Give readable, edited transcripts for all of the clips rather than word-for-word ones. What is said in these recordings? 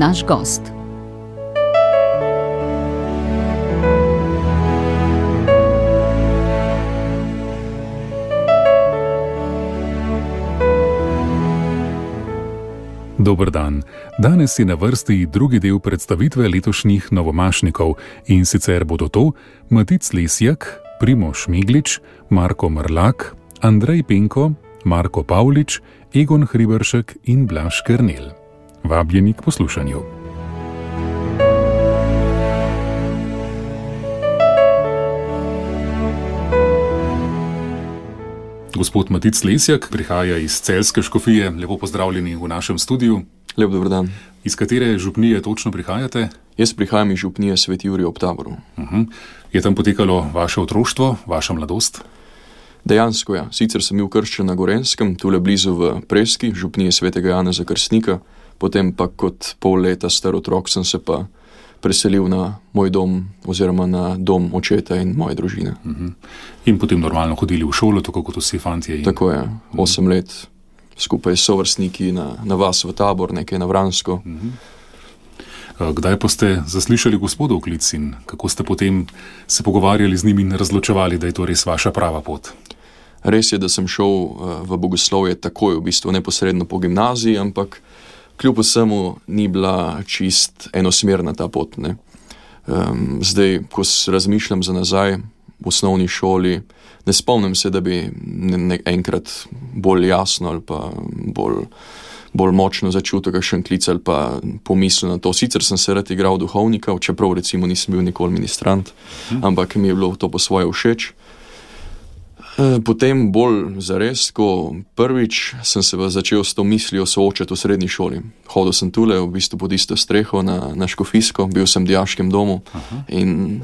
naš gost. Dober dan. Danes je na vrsti drugi del predstavitve letošnjih novomašnikov in sicer bodo to Matic Lesjak, Primož Meglič, Marko Mrlak, Andrej Penko, Marko Pavlič, Egon Hriberšek in Blaž Kernel. Vabljeni k poslušanju. Gospod Matic Lesjak prihaja iz Celjske škofije. Lepo pozdravljeni v našem studiu. Lep dober dan. Iz katere župnije točno prihajate? Jaz prihajam iz župnije Sveti Jurij ob Taboru. Je tam potekalo vaše otroštvo, vaša mladost? Dejansko ja. Sicer sem bil krščen na Gorenjskem, tule blizu v Preski, župnije Svetega Janeza Krstnika, potem pa kot pol leta star otrok sem se pa preselil na moj dom oziroma na dom očeta in moje družine. In potem normalno hodili v šolo, tako kot vsi fantje? Tako je, 8 let skupaj s sovrstniki na vas v Tabor, nekaj na Vransko. Kdaj pa ste zaslišali gospodov klic in kako ste potem se pogovarjali z njimi in razločevali, da je to res vaša prava pot? Res je, da sem šel v bogoslovje takoj, v bistvu neposredno po gimnaziji, ampak kljub vsemu ni bila čist enosmerna ta pot. Zdaj, ko razmišljam za nazaj v osnovni šoli, ne spomnim se, da bi enkrat bolj jasno ali pa bolj močno začutil kakšen klic ali pa pomislil na to. Sicer sem se rad igral duhovnika, čeprav recimo nisem bil nikoli ministrant, ampak mi je bilo to po svoje všeč. Potem bolj zares, ko prvič sem se začel s to mislijo soočati v srednji šoli. Hodil sem tule, v bistvu pod isto streho na Škofijsko, bil sem v dijaškem domu in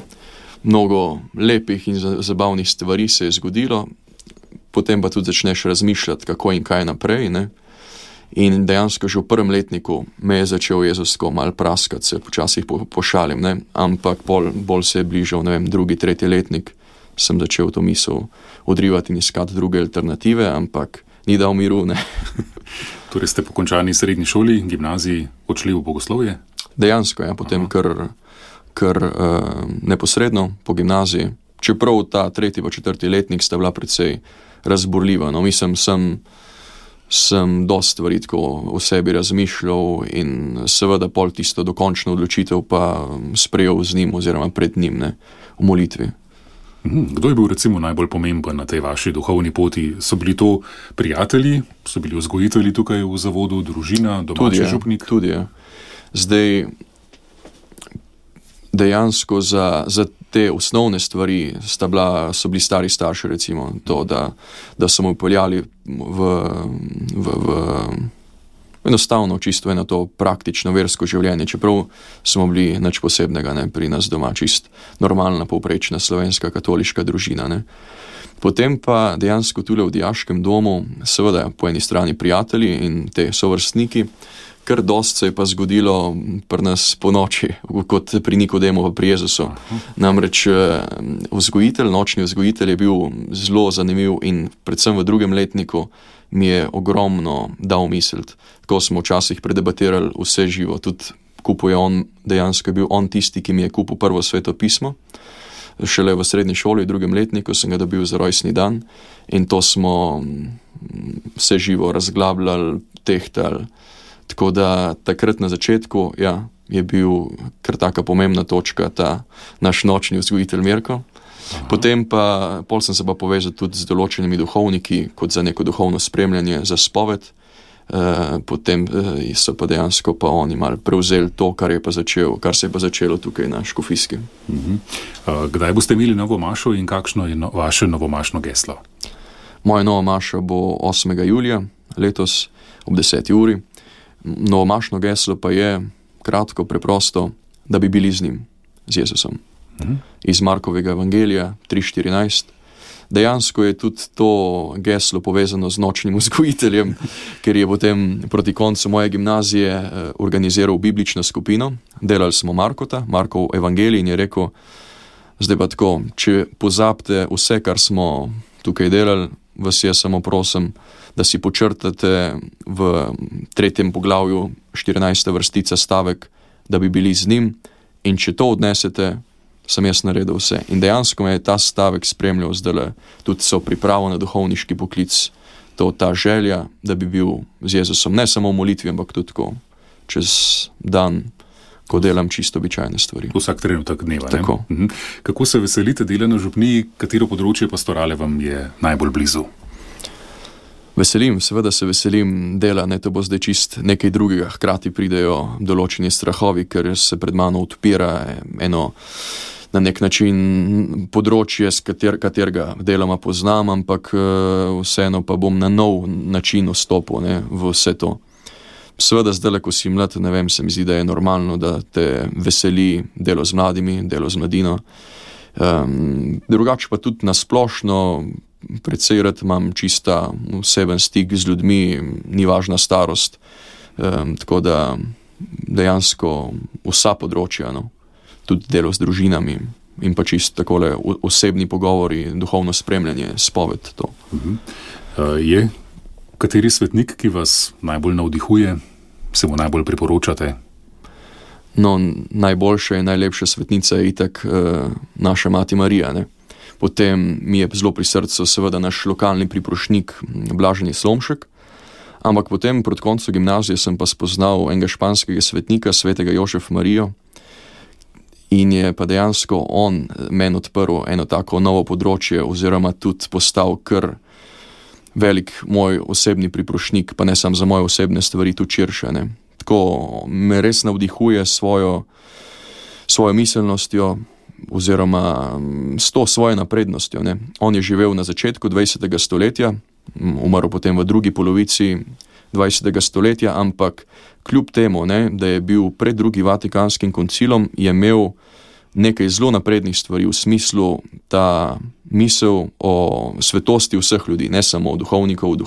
mnogo lepih in zabavnih stvari se je zgodilo. Potem pa tudi začneš razmišljati, kako in kaj naprej. In dejansko že v prvem letniku me je začel Jezusko malo praskati, se počasih pošalim, ampak bolj se je bližal, drugi, tretji letnik, sem začel to misel odrivati in iskati druge alternative, ampak ni dal miru. Torej ste po končani srednji šoli, gimnaziji odšli v bogoslovje? Dejansko, ja, potem kar neposredno po gimnaziji. Čeprav ta tretji pa četrti letnik sta bila precej razburljiva. Mislim, sem dosti stvari tako v sebi razmišljal in seveda pol tisto dokončno odločitev pa sprejel z njim oziroma pred njim v molitvi. Kdo je bil recimo najbolj pomemben na tej vaši duhovni poti? So bili to prijatelji, so bili vzgojitelji tukaj v zavodu, družina, domači župnik? Tudi je. Zdaj, dejansko za te osnovne stvari so bili stari starši, recimo to, da so mu peljali v enostavno čisto eno to praktično versko življenje, čeprav smo bili nič posebnega, pri nas doma čist normalna, povprečna slovenska katoliška družina. Potem pa dejansko tule v dijaškem domu, seveda po eni strani prijatelji in te sovrstniki, kar dost se je pa zgodilo pri nas po noči, kot pri Nikodemu pa pri Jezusu. Namreč nočni vzgojitelj je bil zelo zanimiv in predvsem v drugem letniku mi je ogromno dal misliti. Tako smo včasih predebatirali vse živo, tudi kupuje on, dejansko je bil on tisti, ki mi je kupil prvo sveto pismo. Šele v srednji šoli, v drugem letniku sem ga dobil za rojstni dan in to smo vse živo razglabljali, tehtali. Tako da takrat na začetku je bil kar taka pomembna točka ta naš nočni vzgojitelj Mirko. Potem pa sem se pa povezal tudi z določenimi duhovniki, kot za neko duhovno spremljanje, za spoved. Potem so pa dejansko pa oni malo prevzeli to, kar se je pa začelo tukaj na Škofijski. Kdaj boste imeli novo mašo in kakšno je vaše novomašno geslo? Moja nova maša bo 8. julija letos ob 10. uri. Novomašno geslo pa je kratko, preprosto, da bi bili z njim, z Jezusom. Iz Markovega evangelija 3:14. Dejansko je tudi to geslo povezano z nočnim vzgojiteljem, ker je potem proti koncu moje gimnazije organiziral biblično skupino. Delali smo Markov evangelij in je rekel, zdaj pa tako, če pozabite vse, kar smo tukaj delali, vas jaz samo prosim, da si počrtate v 3. poglavju 14. vrstica stavek, da bi bili z njim, in če to odnesete, sem jaz naredil vse. In dejansko me je ta stavek spremljal zdaj, tudi so pripravo na duhovniški poklic, ta želja, da bi bil z Jezusom, ne samo v molitvi, ampak tudi tako, čez dan, ko delam čisto običajne stvari. Vsak trenutek dneva. Tako. Kako se veselite dela na župniji, katero področje pastorale vam je najbolj blizu? Seveda se veselim dela, ne, to bo zdaj čist nekaj drugega, hkrati pridejo določeni strahovi, ker se pred mano odpira eno na nek način področje, katerega deloma poznam, ampak vseeno pa bom na nov način vstopil, ne, v vse to. Seveda zdaj, ko si mlad, ne vem, se mi zdi, da je normalno, da te veseli delo z mladimi, delo z mladino. Drugače pa tudi nasplošno precej rad imam čista oseben stik z ljudmi, ni važna starost, tako da dejansko vsa področja, no, tudi delo z družinami in pa čisto takole osebni pogovori, duhovno spremljanje, spoved to. Je kateri svetnik, ki vas najbolj navdihuje, se mu najbolj priporočate? No, najboljša in najlepša svetnica je itak naša mati Marija, ne. Potem mi je zelo pri srcu seveda naš lokalni priprošnik Blaženi Slomšek, ampak potem proti koncu gimnazije sem pa spoznal enega španskega svetnika, svetega Jožef Marijo, in je pa dejansko on meni odprl eno tako novo področje oziroma tudi postal kar velik moj osebni priprošnik, pa ne samo za moje osebne stvari, tudi širše, ne. Tako me res navdihuje svojo miselnostjo oziroma s to svojo naprednostjo, ne. On je živel na začetku 20. stoletja, umrl potem v drugi polovici 20. stoletja, ampak kljub temu, ne, da je bil pred drugim Vatikanskim koncilom, je imel nekaj zelo naprednih stvari v smislu ta misel o svetosti vseh ljudi, ne samo duhovnikov,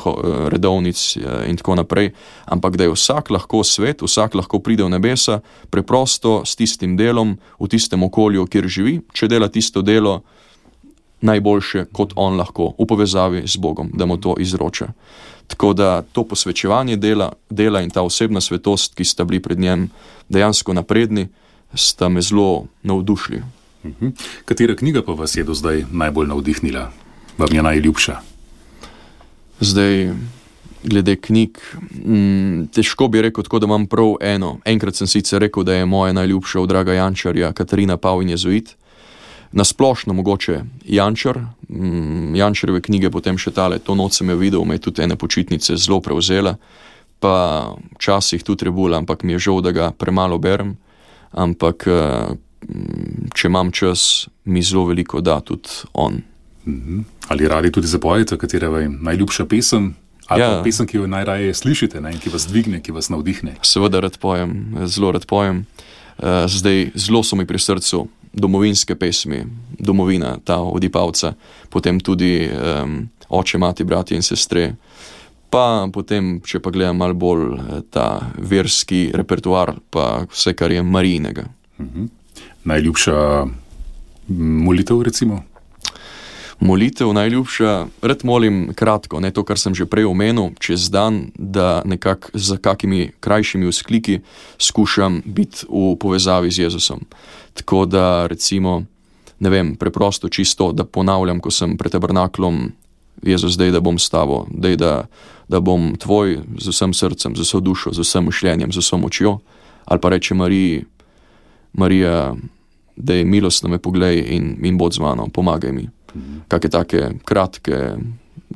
redovnic in tako naprej, ampak da je vsak lahko svet, vsak lahko pride v nebesa, preprosto s tistim delom, v tistem okolju, kjer živi, če dela tisto delo najboljše, kot on lahko, v povezavi z Bogom, da mu to izroča. Tako da to posvečevanje dela in ta osebna svetost, ki sta bili pred njem dejansko napredni, sta me zelo navdušili. Katera knjiga pa vas je do zdaj najbolj navdihnila? Vam je najljubša? Zdaj, glede knjig, težko bi rekel tako, da imam prav eno. Enkrat sem sicer rekel, da je moja najljubša od Draga Jančarja Katarina Pavin Jezuit. Nasplošno mogoče Jančar, Jančarjeve knjige, potem še tale, to noč sem jo videl, me je tudi ene počitnice zelo prevzela, pa včasih tudi Rebula, ampak mi je žal, da ga premalo berem, ampak če imam čas, mi zelo veliko da tudi on. Ali radi tudi zapojete, katera je najljubša pesem? Ali pa pesem, ki jo najraje slišite, ne? In ki vas dvigne, ki vas navdihne? Seveda rad pojem, zelo rad pojem. Zdaj, zelo so mi pri srcu domovinske pesmi, domovina, ta Odipavca, potem tudi Oče, mati, bratje in sestre, pa potem, če pa gledam malo bolj ta verski repertoar, pa vse, kar je Marijinega. Najljubša molitev, recimo? Molitev najljubša, rad molim kratko, ne to, kar sem že prej omenil, čez dan, da nekako z kakimi krajšimi vzkliki skušam biti v povezavi z Jezusom. Tako da recimo, ne vem, preprosto čisto, da ponavljam, ko sem pred tabernaklom, Jezus, daj, da bom s tabo, daj, da bom tvoj z vsem srcem, z vso dušo, z vsem mišljenjem, z vso močjo, ali pa reče Marija, daj, milostno me poglej in bod z mano, pomagaj mi. Kakšne take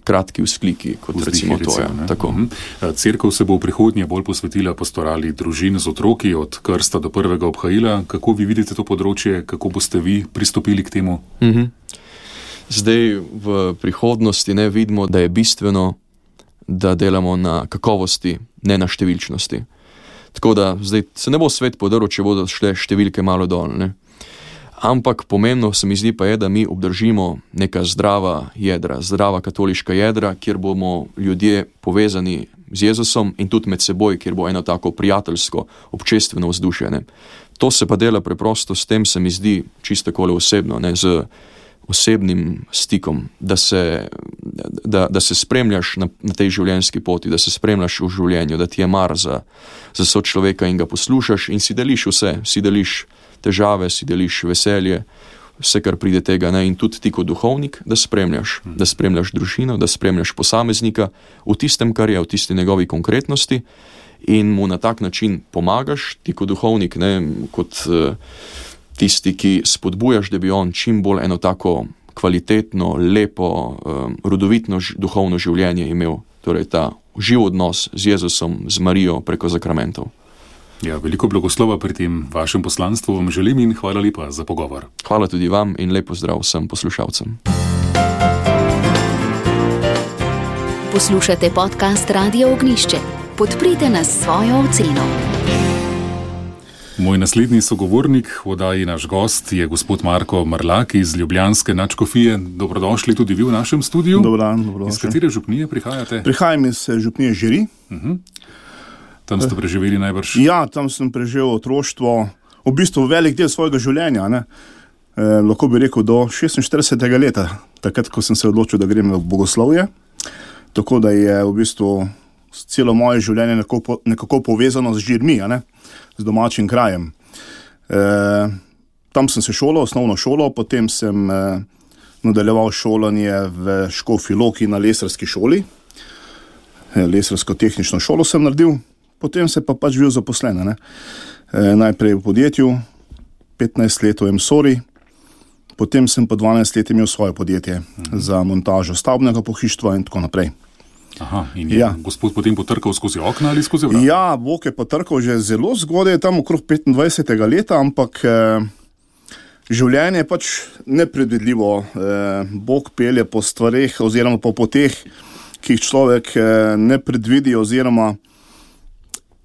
kratki vzkliki, kot recimo to je. Cerkev se bo v prihodnje bolj posvetila pastorali družin z otroki od krsta do prvega obhajila. Kako vi vidite to področje, kako boste vi pristopili k temu? Zdaj v prihodnosti ne vidimo, da je bistveno, da delamo na kakovosti, ne na številčnosti. Tako da zdaj se ne bo svet podrl, če bodo šle številke malo dol, ne? Ampak pomembno se mi zdi pa je, da mi obdržimo neka zdrava jedra, zdrava katoliška jedra, kjer bomo ljudje povezani z Jezusom in tudi med seboj, kjer bo eno tako prijateljsko, občestveno vzdušje, ne. To se pa dela preprosto s tem, se mi zdi čisto takole osebno, ne, z osebnim stikom, da se spremljaš na tej življenjski poti, da se spremljaš v življenju, da ti je mar za sočloveka in ga poslušaš in si deliš vse, si deliš težave, si deliš veselje, vse, kar pride tega, ne? In tudi ti kot duhovnik, da spremljaš družino, da spremljaš posameznika v tistem, kar je, v tisti njegovi konkretnosti in mu na tak način pomagaš, ti kot duhovnik, ne? Kot tisti, ki spodbujaš, da bi on čim bolj eno tako kvalitetno, lepo, rodovitno duhovno življenje imel, torej ta živ odnos z Jezusom, z Marijo preko zakramentov. Ja, veliko blagoslova pri tem vašem poslanstvu vam želim in hvala lepa za pogovor. Hvala tudi vam in lep pozdrav vsem poslušalcem. Poslušate podcast Radio Ognjišče. Podprite nas s svojo oceno. Moj naslednji sogovornik v oddaji Naš gost je gospod Marko Mrlak iz ljubljanske nadškofije. Dobrodošli tudi vi v našem studiu. Dober dan, dobrodošli. Iz katere župnije prihajate? Prihajam iz župnije Žiri. Tam ste preživeli najbrž? Ja, tam sem preživel otroštvo, v bistvu velik del svojega življenja, ne. Lahko bi rekel do 46. leta, takrat, ko sem se odločil, da grem v bogoslovje. Tako da je v bistvu celo moje življenje nekako povezano z Žirmi, ne, z domačim krajem. Tam sem se šolal, osnovno šolo, potem sem nadaljeval šolanje v Škofji Loki na lesarski šoli. Lesarsko-tehnično šolo sem naredil, potem se pa pač bil zaposlen, ne. Najprej v podjetju, 15 let v Emsori, potem sem pa 12 let imel svoje podjetje za montažo stavbnega pohištva in tako naprej. Aha, in je gospod potem potrkal skozi okna ali skozi vrata? Ja, Bog je potrkal že zelo zgodaj, tam okrog 25. leta, ampak življenje je pač nepredvidljivo. Bog pelje po stvareh oziroma po poteh, ki jih človek ne predvidi oziroma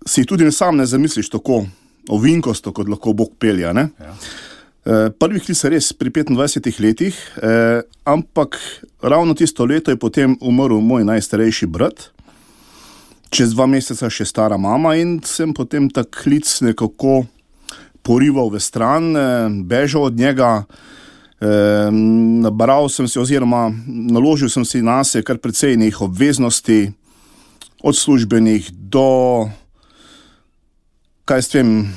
si tudi sam ne zamisliš tako ovinkosto, kot lahko Bog pelje, ne? Ja. Prvi klic res pri 25 letih, ampak ravno tisto leto je potem umrl moj najstarejši brat, čez 2 meseca še stara mama in sem potem ta klic nekako porival v stran, bežal od njega, nabral sem si oziroma naložil sem si nase kar precej nekih obveznosti, od službenih do, kaj s tem,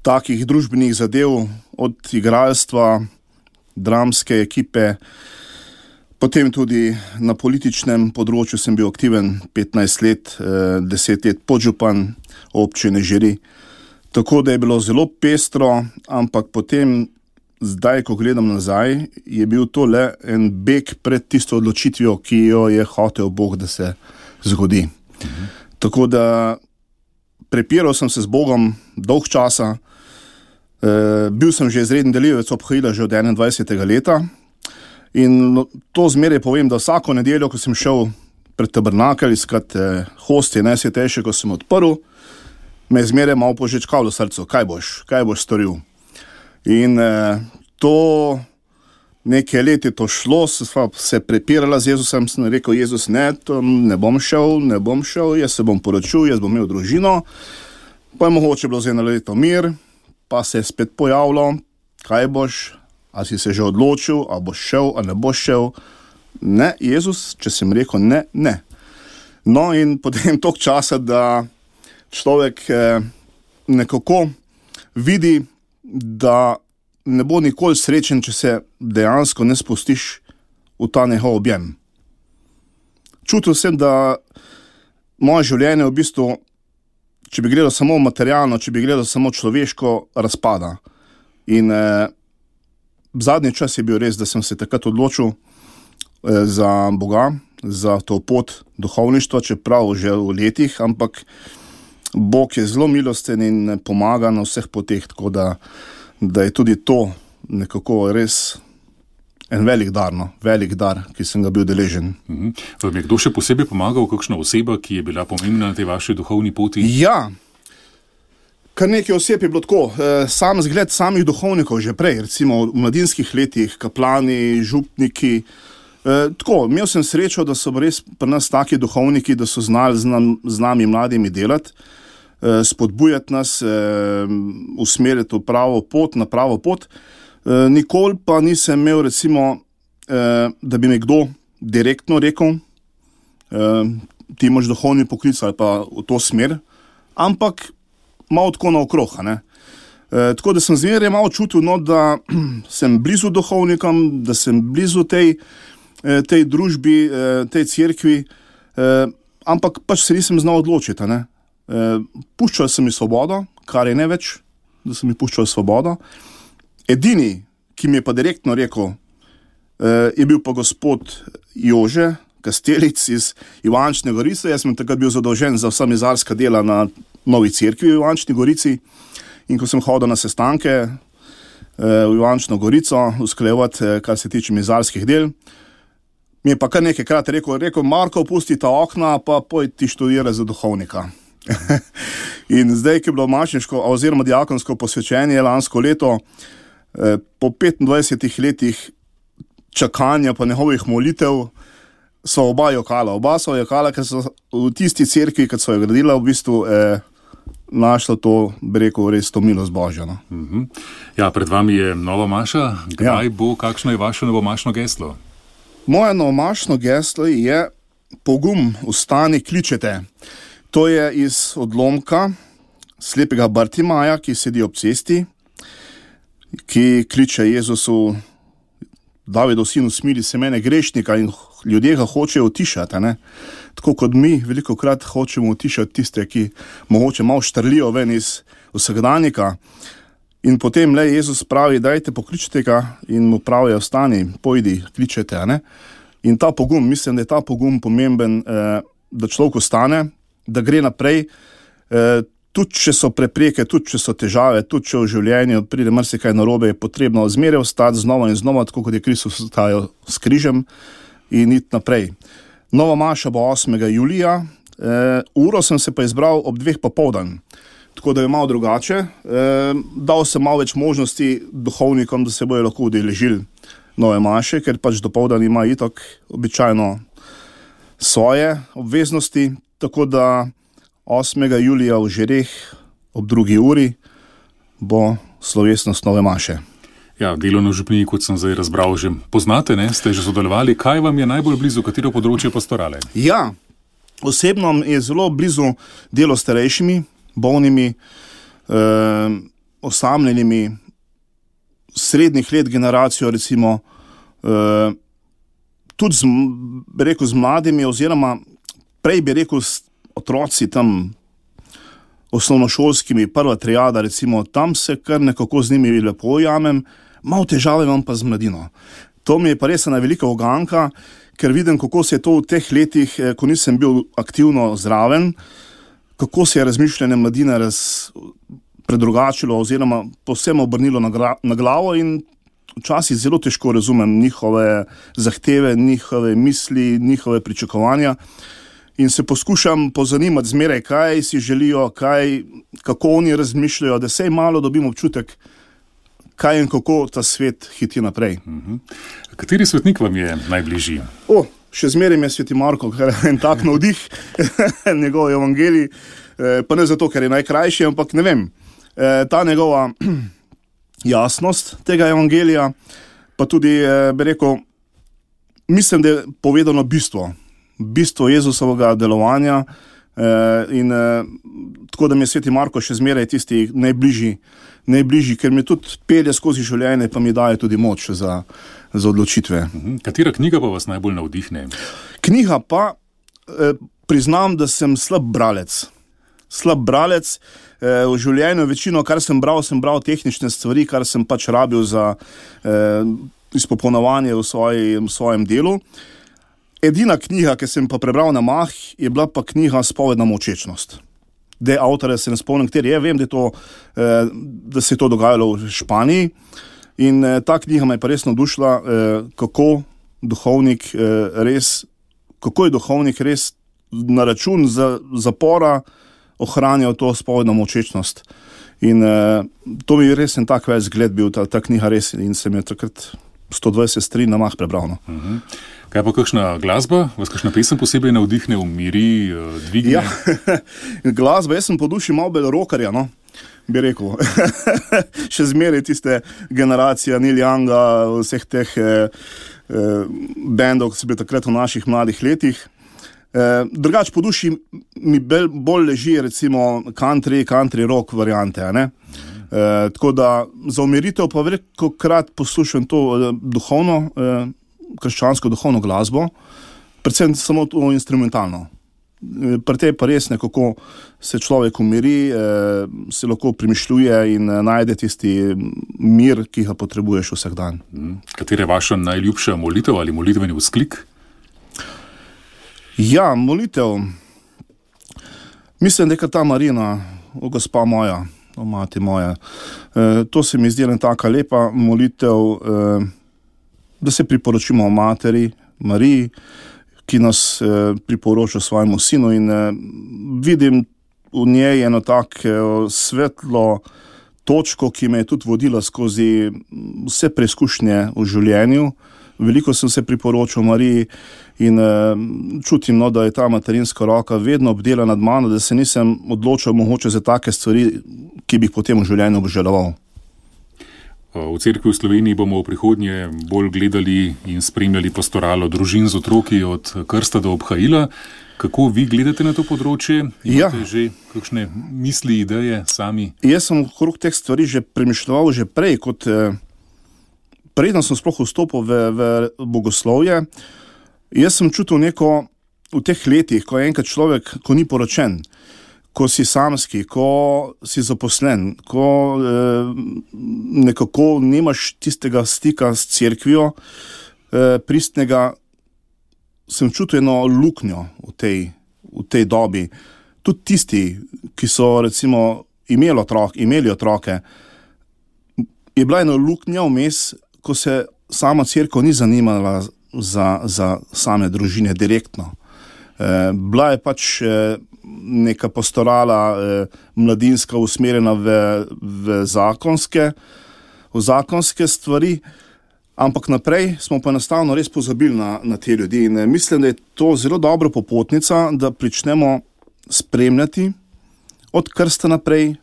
takih družbenih zadev, od igralstva, dramske ekipe, potem tudi na političnem področju sem bil aktiven 15 let, 10 let podžupan občine Žiri. Tako da je bilo zelo pestro, ampak potem, zdaj, ko gledam nazaj, je bil to le en beg pred tisto odločitvijo, ki jo je hotel Bog, da se zgodi. Tako da prepiral sem se z Bogom dolg časa, bil sem že izreden delivec obhajila že od 21. leta in to zmeraj povem, da vsako nedeljo, ko sem šel pred tabernakelj iskat hostje najsvetejše, ko sem odprl, me je zmeraj malo požečkalo v srcu, kaj boš storil. In to nekaj let je to šlo, se prepirala z Jezusom, sem rekel, Jezus, ne, to ne bom šel, jaz se bom poročil, jaz bom imel družino, pa je mogoče bilo za 1 leto mir, pa se je spet pojavilo, kaj boš, a si se že odločil, a boš šel, a ne boš šel. Ne, Jezus, če sem rekel ne. No in potem toliko časa, da človek nekako vidi, da ne bo nikoli srečen, če se dejansko ne spustiš v ta njegov objem. Čutil sem, da moje življenje v bistvu, če bi gledal samo materialno, če bi gledal samo človeško, razpada. In zadnji čas je bil res, da sem se takrat odločil za Boga, za to pot duhovništva, čeprav že v letih, ampak Bog je zelo milosten in pomaga na vseh poteh, tako da je tudi to nekako res en velik dar, ki sem ga bil deležen. Vam je kdo še posebej pomagal, kakšna oseba, ki je bila pomembna na tej vaši duhovni poti? Ja, kar nekaj oseb je bilo tako. Sam zgled samih duhovnikov že prej, recimo v mladinskih letih, kaplani, župniki. Tako, imel sem srečo, da so res pri nas taki duhovniki, da so znali z nami mladimi delati, spodbujati nas, usmeriti v pravo pot, na pravo pot. Nikoli pa nisem imel recimo da bi mi kdo direktno rekel, ti imaš duhovni poklic ali pa v to smer, ampak malo tako naokrog, ne. Tako da sem zmeraj malo čutil, no, da sem blizu duhovnikom, da sem blizu tej družbi, tej cerkvi, ampak pač se nisem znal odločiti, ne. Puščal sem mi svobodo, kar je največ, da sem mi puščal svobodo. Edini, ki mi je pa direktno rekel, je bil pa gospod Jože Kastelic iz Ivančne Gorice. Jaz sem takrat bil zadolžen za vsa mizarska dela na novi cerkvi v Ivančni Gorici. In ko sem hodil na sestanke v Ivančno Gorico, usklajevati, kar se tiče mizarskih del, mi je pa kar nekajkrat rekel, Marko, pusti ta okna, pa poj ti študiraj za duhovnika. In zdaj, ki je bilo mašniško oziroma diakonsko posvečenje lansko leto, po 25 letih čakanja pa njegovih molitev, so oba so jokala, ker so v tisti cerkvi, kad so jo gradila, v bistvu našla to, bi rekel, res to milost Božja. No? Ja, pred vami je nova maša. Kdaj bo, kakšno je vaše novomašno geslo? Moje novomašno geslo je pogum, vstani, kličete. To je iz odlomka slepega Bartimaja, ki sedi ob cesti, ki kliče Jezusu, Davidov sinu, smili se mene, grešnika, in ljudje ga hočejo utišati, ne? Tako kot mi velikokrat hočemo utišati tiste, ki mogoče malo štrlijo ven iz vsakdanjika. In potem le Jezus pravi, dajte, pokličite ga, in mu pravijo, vstani, pojdi, kličete, ne? In ta pogum, mislim, da je ta pogum pomemben, da človek ostane, da gre naprej, tudi če so prepreke, tudi če so težave, tudi če v življenju pride marsikaj narobe, je potrebno zmeraj ostati znova in znova, tako kot je Kristus ostajal s križem, in iti naprej. Nova maša bo 8. julija, uro sem se pa izbral ob 2 popoldan, tako da je malo drugače. Dal sem malo več možnosti duhovnikom, da se bojo lahko udeležili nove maše, ker pač dopoldan ima itak običajno svoje obveznosti, tako da 8. julija v Žereh ob 2. uri bo slovesnost nove maše. Ja, delovno župniji, kot sem zdaj razbral, že poznate, ne? Ste že sodelovali. Kaj vam je najbolj blizu, katero področje pastorale? Ja, osebno je zelo blizu delo s starejšimi, bolnimi, osamljenimi, srednjih let generacijo, recimo, tudi z mladimi, oziroma prej bi rekel s otroci tam osnovnošolskimi, prva triada, recimo, tam se kar nekako z njimi lepo ujamem, malo težave imam pa z mladino. To mi je pa res ena velika uganka, ker vidim, kako se je to v teh letih, ko nisem bil aktivno zraven, kako se je razmišljanje mladine predrugačilo oziroma povsem obrnilo na glavo, in včasih zelo težko razumem njihove zahteve, njihove misli, njihove pričakovanja. In se poskušam pozanimati zmeraj, kaj si želijo, kako oni razmišljajo, da sej malo dobim občutek, kaj in kako ta svet hiti naprej. Kateri svetnik vam je najbližji? Še zmeraj je sveti Marko, ker je en tak navdih, njegov evangelij, pa ne zato, ker je najkrajši, ampak ne vem, ta njegova jasnost tega evangelija, pa tudi, bi rekel, mislim, da je povedano bistvo Jezusovega delovanja, in tako da mi je sveti Marko še zmeraj tisti najbližji, ker mi tudi pelje skozi življenje, pa mi daje tudi moč za odločitve. Katera knjiga pa vas najbolj navdihne? Knjiga pa, priznam, da sem slab bralec. V življenju večino, kar sem bral tehnične stvari, kar sem pač rabil za izpopolnjevanje v svojem delu. Edina knjiga, ki sem pa prebral na mah, je bila pa knjiga Spovedna molčečnost. Avtorja se ne spomnim, kateri je, vem, da se je to dogajalo v Španiji, in ta knjiga me je pa res navdušila, kako je duhovnik res na račun zapora ohranjal to spovedno molčečnost. In to mi je res en tak več zgled bil, ta knjiga res, in sem je takrat 120 strani na mah prebral. Kaj pa kakšna glasba? Vas kakšna pesem posebej navdihne, umiri, dvigne? Ja, glasba, jaz sem po duši malo bolj rockerja, no, bi rekel. Še zmeraj tiste generacija Neil Younga, vseh teh bendov, ki so bili takrat v naših mladih letih. Drugač po duši mi bolj leži recimo country rock variante, a ne? Tako da za umiritev pa velikokrat poslušam to duhovno, krščansko duhovno glasbo, predvsem samo to instrumentalno. Pri tej pa res nekako se človek umiri, se lahko premišljuje in najde tisti mir, ki ga potrebuješ vsak dan. Katera je vaša najljubša molitev ali molitveni vzklik? Ja, molitev. Mislim, da je ta Marina, o gospa moja, o mati moja. To se mi zdi ena taka lepa molitev, da se priporočimo o materi Mariji, ki nas priporoča svojemu sinu in vidim v njej eno tako svetlo točko, ki me je tudi vodila skozi vse preizkušnje v življenju. Veliko sem se priporočal Mariji in čutim, da je ta materinska roka vedno obdela nad mano, da se nisem odločil mogoče za take stvari, ki bi jih potem v življenju obžaloval. V cerkvi v Sloveniji bomo v prihodnje bolj gledali in spremljali pastoralo družin z otroki od krsta do obhajila. Kako vi gledate na to področje? Imate že kakšne misli, ideje sami? Jaz sem okrog teh stvari že premišljeval že prej, kot preden sem sploh vstopil v bogoslovje. Jaz sem čutil neko v teh letih, ko je enkrat človek, ko ni poročen, ko si samski, ko si zaposlen, ko nekako nimaš tistega stika s cerkvijo pristnega, sem čutil eno luknjo v tej dobi. Tudi tisti, ki so recimo imeli otroke, je bila ena luknja vmes, ko se sama cerkev ni zanimala za same družine direktno. Bila je pač neka pastorala mladinska usmerjena v zakonske stvari, ampak naprej smo pa enostavno res pozabili na te ljudi in mislim, da je to zelo dobra popotnica, da pričnemo spremljati od krsta naprej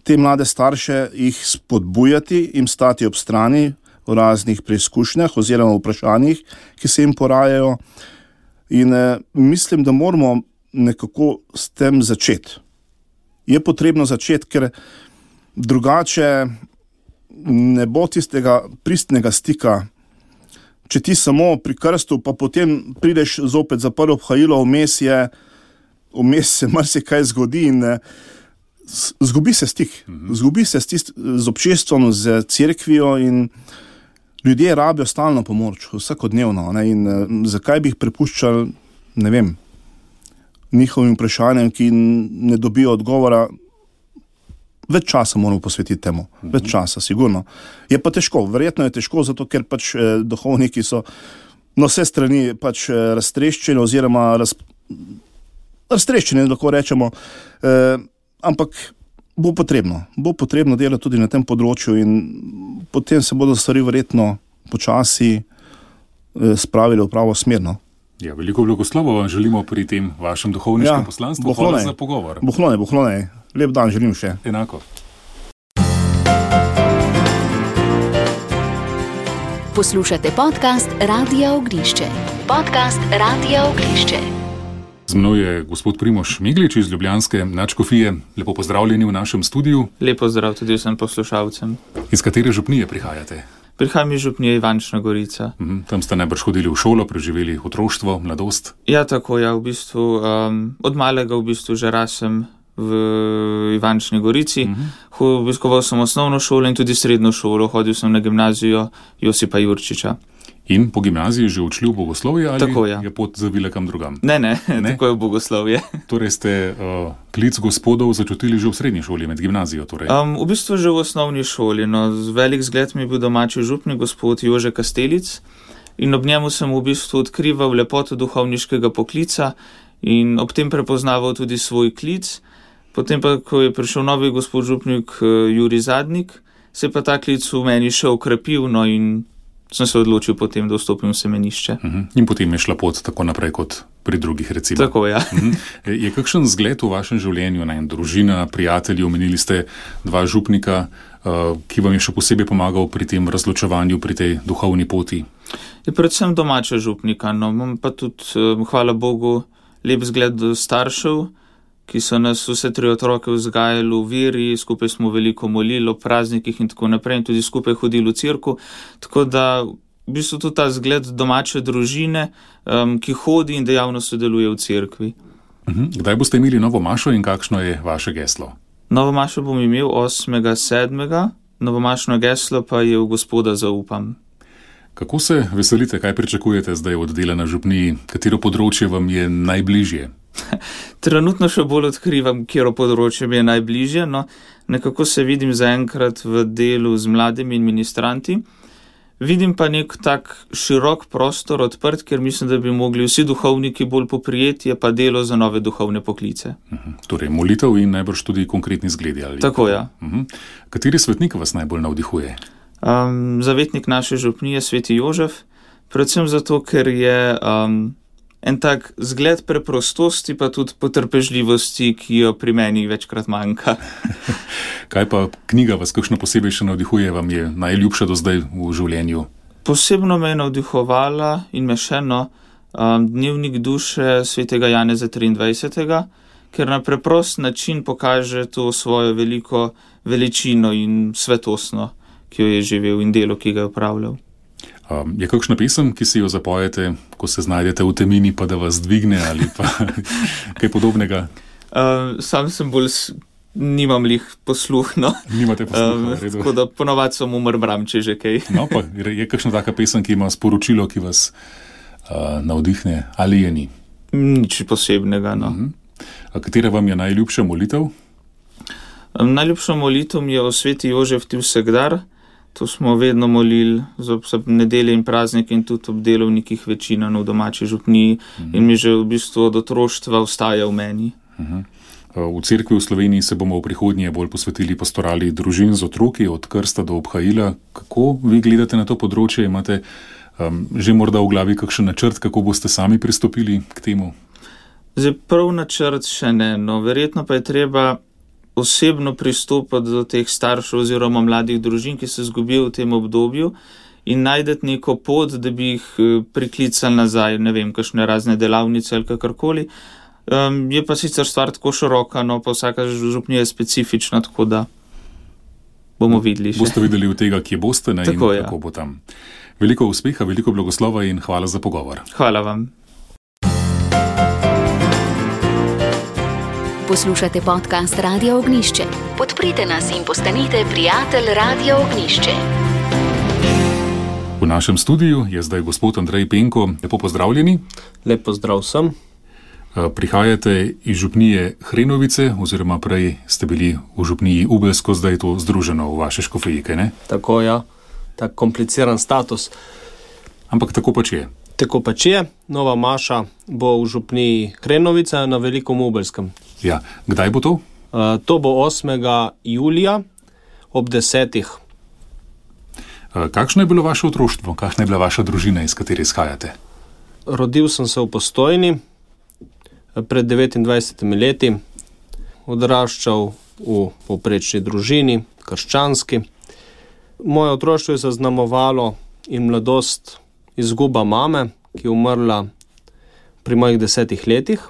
te mlade starše, jih spodbujati, jim stati ob strani v raznih preizkušnjah oziroma vprašanjih, ki se jim porajajo. In mislim, da moramo nekako s tem začeti. Je potrebno začeti, ker drugače ne bo tistega pristnega stika. Če ti samo pri krstu, pa potem prideš zopet za prvo obhajilo, vmes se marsikaj zgodi in zgubi se stik. Zgubi se z občestvom, z cerkvijo in ljudje rabijo stalno pomoč, vsakodnevno. Ne? In zakaj bi jih prepuščali, ne vem, njihovim vprašanjem, ki ne dobijo odgovora. Več časa moramo posvetiti temu. Več časa, sigurno. Je pa težko, verjetno je težko, zato ker pač duhovniki so na vse strani pač raztreščeni oziroma raztreščeni, lahko rečemo, ampak bo potrebno delati tudi na tem področju in potem se bodo stvari verjetno počasi spravili v pravo smer. Ja, veliko blagoslovo vam želimo pri tem vašem duhovniškem poslanstvu. Hvala za pogovor. Bohlone. Lep dan želim še. Enako. Poslušate podcast Radia Ognišče. Podcast Radia Ognišče. Z mnou je gospod Primož Meglič iz ljubljanske nadškofije. Lepo pozdravljeni v našem studiu. Lepo zdrav tudi vsem poslušalcem. Iz katere župnije prihajate? Prihajam iz župnije Ivančna Gorica. Tam ste najbrž hodili v šolo, preživeli otroštvo, mladost? Ja, tako, ja, v bistvu od malega v bistvu že rasem v Ivančni Gorici. Obiskoval sem osnovno šolo in tudi srednjo šolo. Hodil sem na gimnazijo Josipa Jurčiča. In po gimnaziji že odšli v bogoslovje ali tako, ja. Je pot zavila kam drugam? Ne, tako je v bogoslovje. Torej ste klic gospodov začutili že v srednji šoli, med gimnazijo? Torej. V bistvu že v osnovni šoli. Velik zgled mi je bil domači župni gospod Jože Kastelic in ob njemu sem v bistvu odkrival lepoto duhovniškega poklica in ob tem prepoznaval tudi svoj klic. Potem pa, ko je prišel novi gospod župnik Jurij Zadnik, se je pa ta klic v meni še okrepil, in sem se odločil potem, da vstopim v semenišče. In potem je šla pot tako naprej kot pri drugih, recimo. Tako, ja. Je kakšen zgled v vašem življenju, družina, prijatelji, omenili ste dva župnika, ki vam je še posebej pomagal pri tem razločevanju, pri tej duhovni poti? Je predvsem domača župnika, no, imam pa tudi, hvala Bogu, lep zgled do staršev, ki so nas vse 3 otroke vzgajali v veri, skupaj smo veliko molili o praznikih in tako naprej in tudi skupaj hodili v cerkev, tako da v bistvu tudi ta zgled domače družine, ki hodi in dejavno sodeluje v cerkvi. Kdaj boste imeli novo mašo in kakšno je vaše geslo? Novo mašo bom imel 8.7., novomašno geslo pa je v Gospoda zaupam. Kako se veselite, kaj pričakujete zdaj od dela na župniji, katero področje vam je najbližje? Trenutno še bolj odkrivam, katero področje mi je najbližje, no nekako se vidim zaenkrat v delu z mladimi in ministranti. Vidim pa nek tak širok prostor odprt, ker mislim, da bi mogli vsi duhovniki bolj poprijeti, je pa delo za nove duhovne poklice. Torej molitev in najbrž tudi konkretni zgledi. Ali? Tako, ja. Kateri svetnik vas najbolj navdihuje? Zavetnik naše župnije, sveti Jožef, predvsem zato, ker je en tak zgled preprostosti, pa tudi potrpežljivosti, ki jo pri meni večkrat manjka. Kaj pa knjiga vas kakšno posebej še navdihuje, vam je najljubša do zdaj v življenju? Posebno me je navdihovala in me še Dnevnik duše svetega Janeza 23., ker na preprost način pokaže to svojo veliko veličino in svetostno, ki jo je živel in delo, ki ga je opravljal. Je kakšna pesem, ki si jo zapojete, ko se znajdete v temini, pa da vas dvigne ali pa kaj podobnega? Sam sem bolj, nimam lih posluhno. Nimate posluha, redu. Tako da ponovadi sem umrmram, če že kaj. No, pa je kakšna taka pesem, ki ima sporočilo, ki vas navdihne, ali je ni? Nič posebnega, no. Katera vam je najljubša molitev? Najljubša molitev mi je o sveti Jožef ti vsegdar. To smo vedno molili za nedelje in praznike in tudi ob delovnikih večina v domači župniji in mi že v bistvu od otroštva ostaja v meni. V cerkvi v Sloveniji se bomo v prihodnje bolj posvetili pastorali družin z otroki, od krsta do obhajila. Kako vi gledate na to področje? Imate že morda v glavi kakšen načrt, kako boste sami pristopili k temu? Zdaj prav načrt še ne, no verjetno pa je treba osebno pristopati do teh staršev oziroma mladih družin, ki se zgubijo v tem obdobju in najdeti neko pot, da bi jih priklicali nazaj, ne vem, kakšne razne delavnice ali kakorkoli. Je pa sicer stvar tako široka, no pa vsaka župnija je specifična, tako da bomo videli še. Boste videli od tega, kje boste, ne, tako, in kako bo tam. Veliko uspeha, veliko blagoslova in hvala za pogovor. Hvala vam. Poslušate podcast Radia Ognjišče. Podprite nas in postanite prijatelj Radia Ognjišče. V našem studiu je zdaj gospod Andrej Penko. Lepo pozdravljeni. Lep pozdrav vsem. Prihajate iz župnije Hrenovice, oziroma prej ste bili v župniji Ubelsko, zdaj je to združeno v vaše škofejike, ne? Tako, ja. Tak kompliciran status. Ampak tako pač je. Tako pač je. Nova maša bo v župniji Hrenovice na Velikom Ubelskem. Ja, kdaj bo to? To bo 8. julija ob 10. Kakšno je bilo vaše otroštvo? Kakšna je bila vaša družina, iz katere izhajate? Rodil sem se v Postojni pred 29 leti. Odraščal v povprečni družini, krščanski. Moje otroštvo je zaznamovalo in mladost izguba mame, ki je umrla pri mojih 10 letih.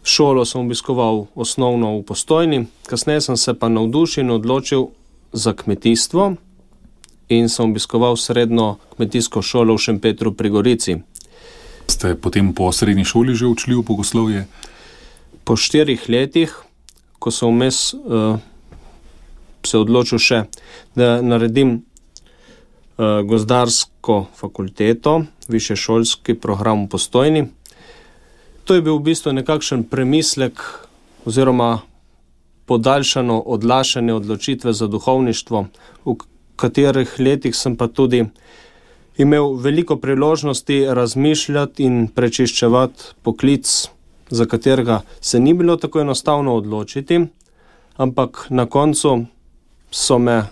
Šolo sem obiskoval osnovno v Postojni, kasneje sem se pa navdušil in odločil za kmetijstvo in sem obiskoval srednjo kmetijsko šolo v Šempetru pri Gorici. Ste potem po srednji šoli že učili v bogoslovje? Po 4 letih, ko sem vmes se odločil še, da naredim gozdarsko fakulteto, višješolski program v Postojni. To je bil v bistvu nekakšen premislek oziroma podaljšano odlašanje odločitve za duhovništvo, v katerih letih sem pa tudi imel veliko priložnosti razmišljati in prečiščevati poklic, za katerega se ni bilo tako enostavno odločiti, ampak na koncu so me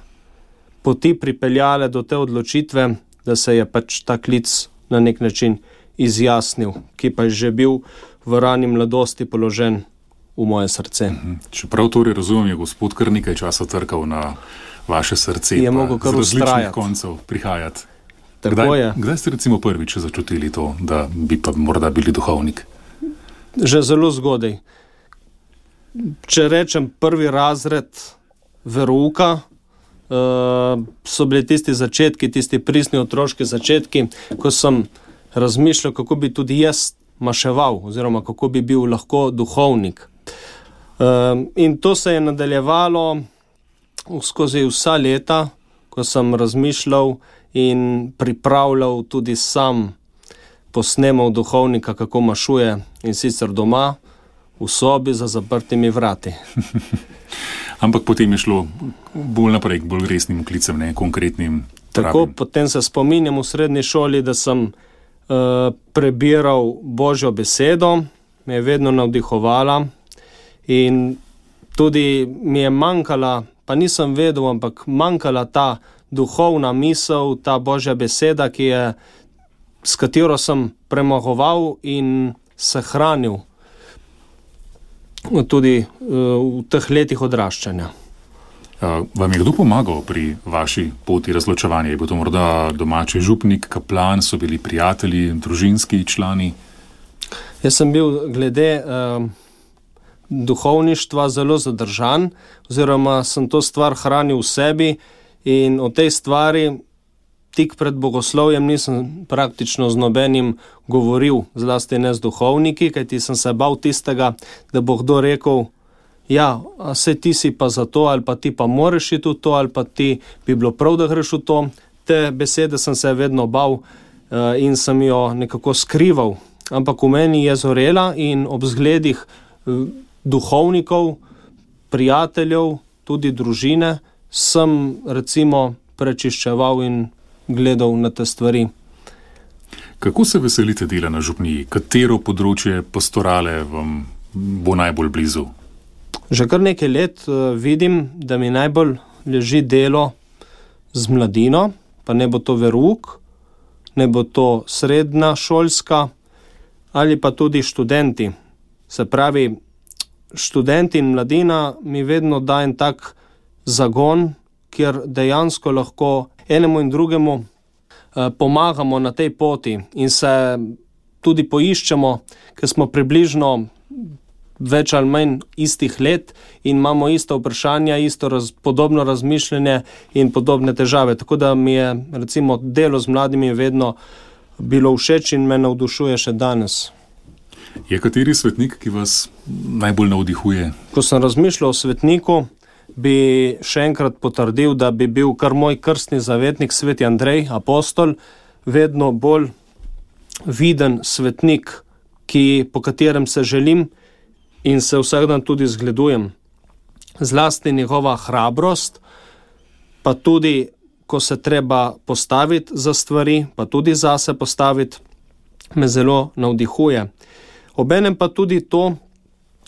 poti pripeljale do te odločitve, da se je pač ta klic na nek način izjasnil, ki pa je že bil v rani mladosti položen v moje srce. Čeprav torej razumem, je gospod kar nekaj časa trkal na vaše srce, je pa mogel kar z različnih ustrajati. koncev prihajati. Kdaj ste recimo prvič začutili to, da bi pa morda bili duhovnik? Že zelo zgodaj. Če rečem prvi razred verouka, so bili tisti začetki, tisti pristni otroški začetki, ko sem razmišljal, kako bi tudi jaz maševal, oziroma kako bi bil lahko duhovnik. In to se je nadaljevalo skozi vsa leta, ko sem razmišljal in pripravljal tudi sam posnemal duhovnika, kako mašuje, in sicer doma, v sobi za zaprtimi vrati. Ampak potem je šlo bolj naprej, bolj resnim klicem, ne konkretnim. Tako, potem se spominjam v srednji šoli, da sem prebiral Božjo besedo, me je vedno navdihovala in tudi mi je manjkala, pa nisem vedel, ampak manjkala ta duhovna misel, ta Božja beseda, s katero sem premagoval in se hranil tudi v teh letih odraščanja. Vam je kdo pomagal pri vaši poti razločevanja? Je bil to morda domači župnik, kaplan, so bili prijatelji, družinski člani? Jaz sem bil glede duhovništva zelo zadržan, oziroma sem to stvar hranil v sebi in o tej stvari tik pred bogoslovjem nisem praktično z nobenim govoril, zlasti ne z duhovniki, kajti sem se bal tistega, da bo kdo rekel, ja, saj ti si pa za to, ali pa ti pa moraš iti v to, ali pa ti bi bilo prav, da greš v to. Te besede sem se vedno bal in sem jo nekako skrival. Ampak v meni je zorela in ob zgledih duhovnikov, prijateljev, tudi družine, sem recimo prečiščeval in gledal na te stvari. Kako se veselite dela na župniji? Katero področje pastorale vam bo najbolj blizu? Že kar nekaj let vidim, da mi najbolj leži delo z mladino, pa ne bo to verouk, ne bo to srednja šolska ali pa tudi študenti. Se pravi, študenti in mladina mi vedno da en tak zagon, kjer dejansko lahko enemu in drugemu pomagamo na tej poti in se tudi poiščemo, ker smo približno več ali manj istih let in imamo ista vprašanja, podobno razmišljanje in podobne težave. Tako da mi je recimo delo z mladimi vedno bilo všeč in me navdušuje še danes. Je kateri svetnik, ki vas najbolj navdihuje? Ko sem razmišljal o svetniku, bi še enkrat potrdil, da bi bil kar moj krstni zavetnik, sveti Andrej, apostol, vedno bolj viden svetnik, po katerem se želim in se vsak dan tudi zgledujem. Zlasti njegova hrabrost, pa tudi, ko se treba postaviti za stvari, pa tudi zase postaviti, me zelo navdihuje. Obenem pa tudi to,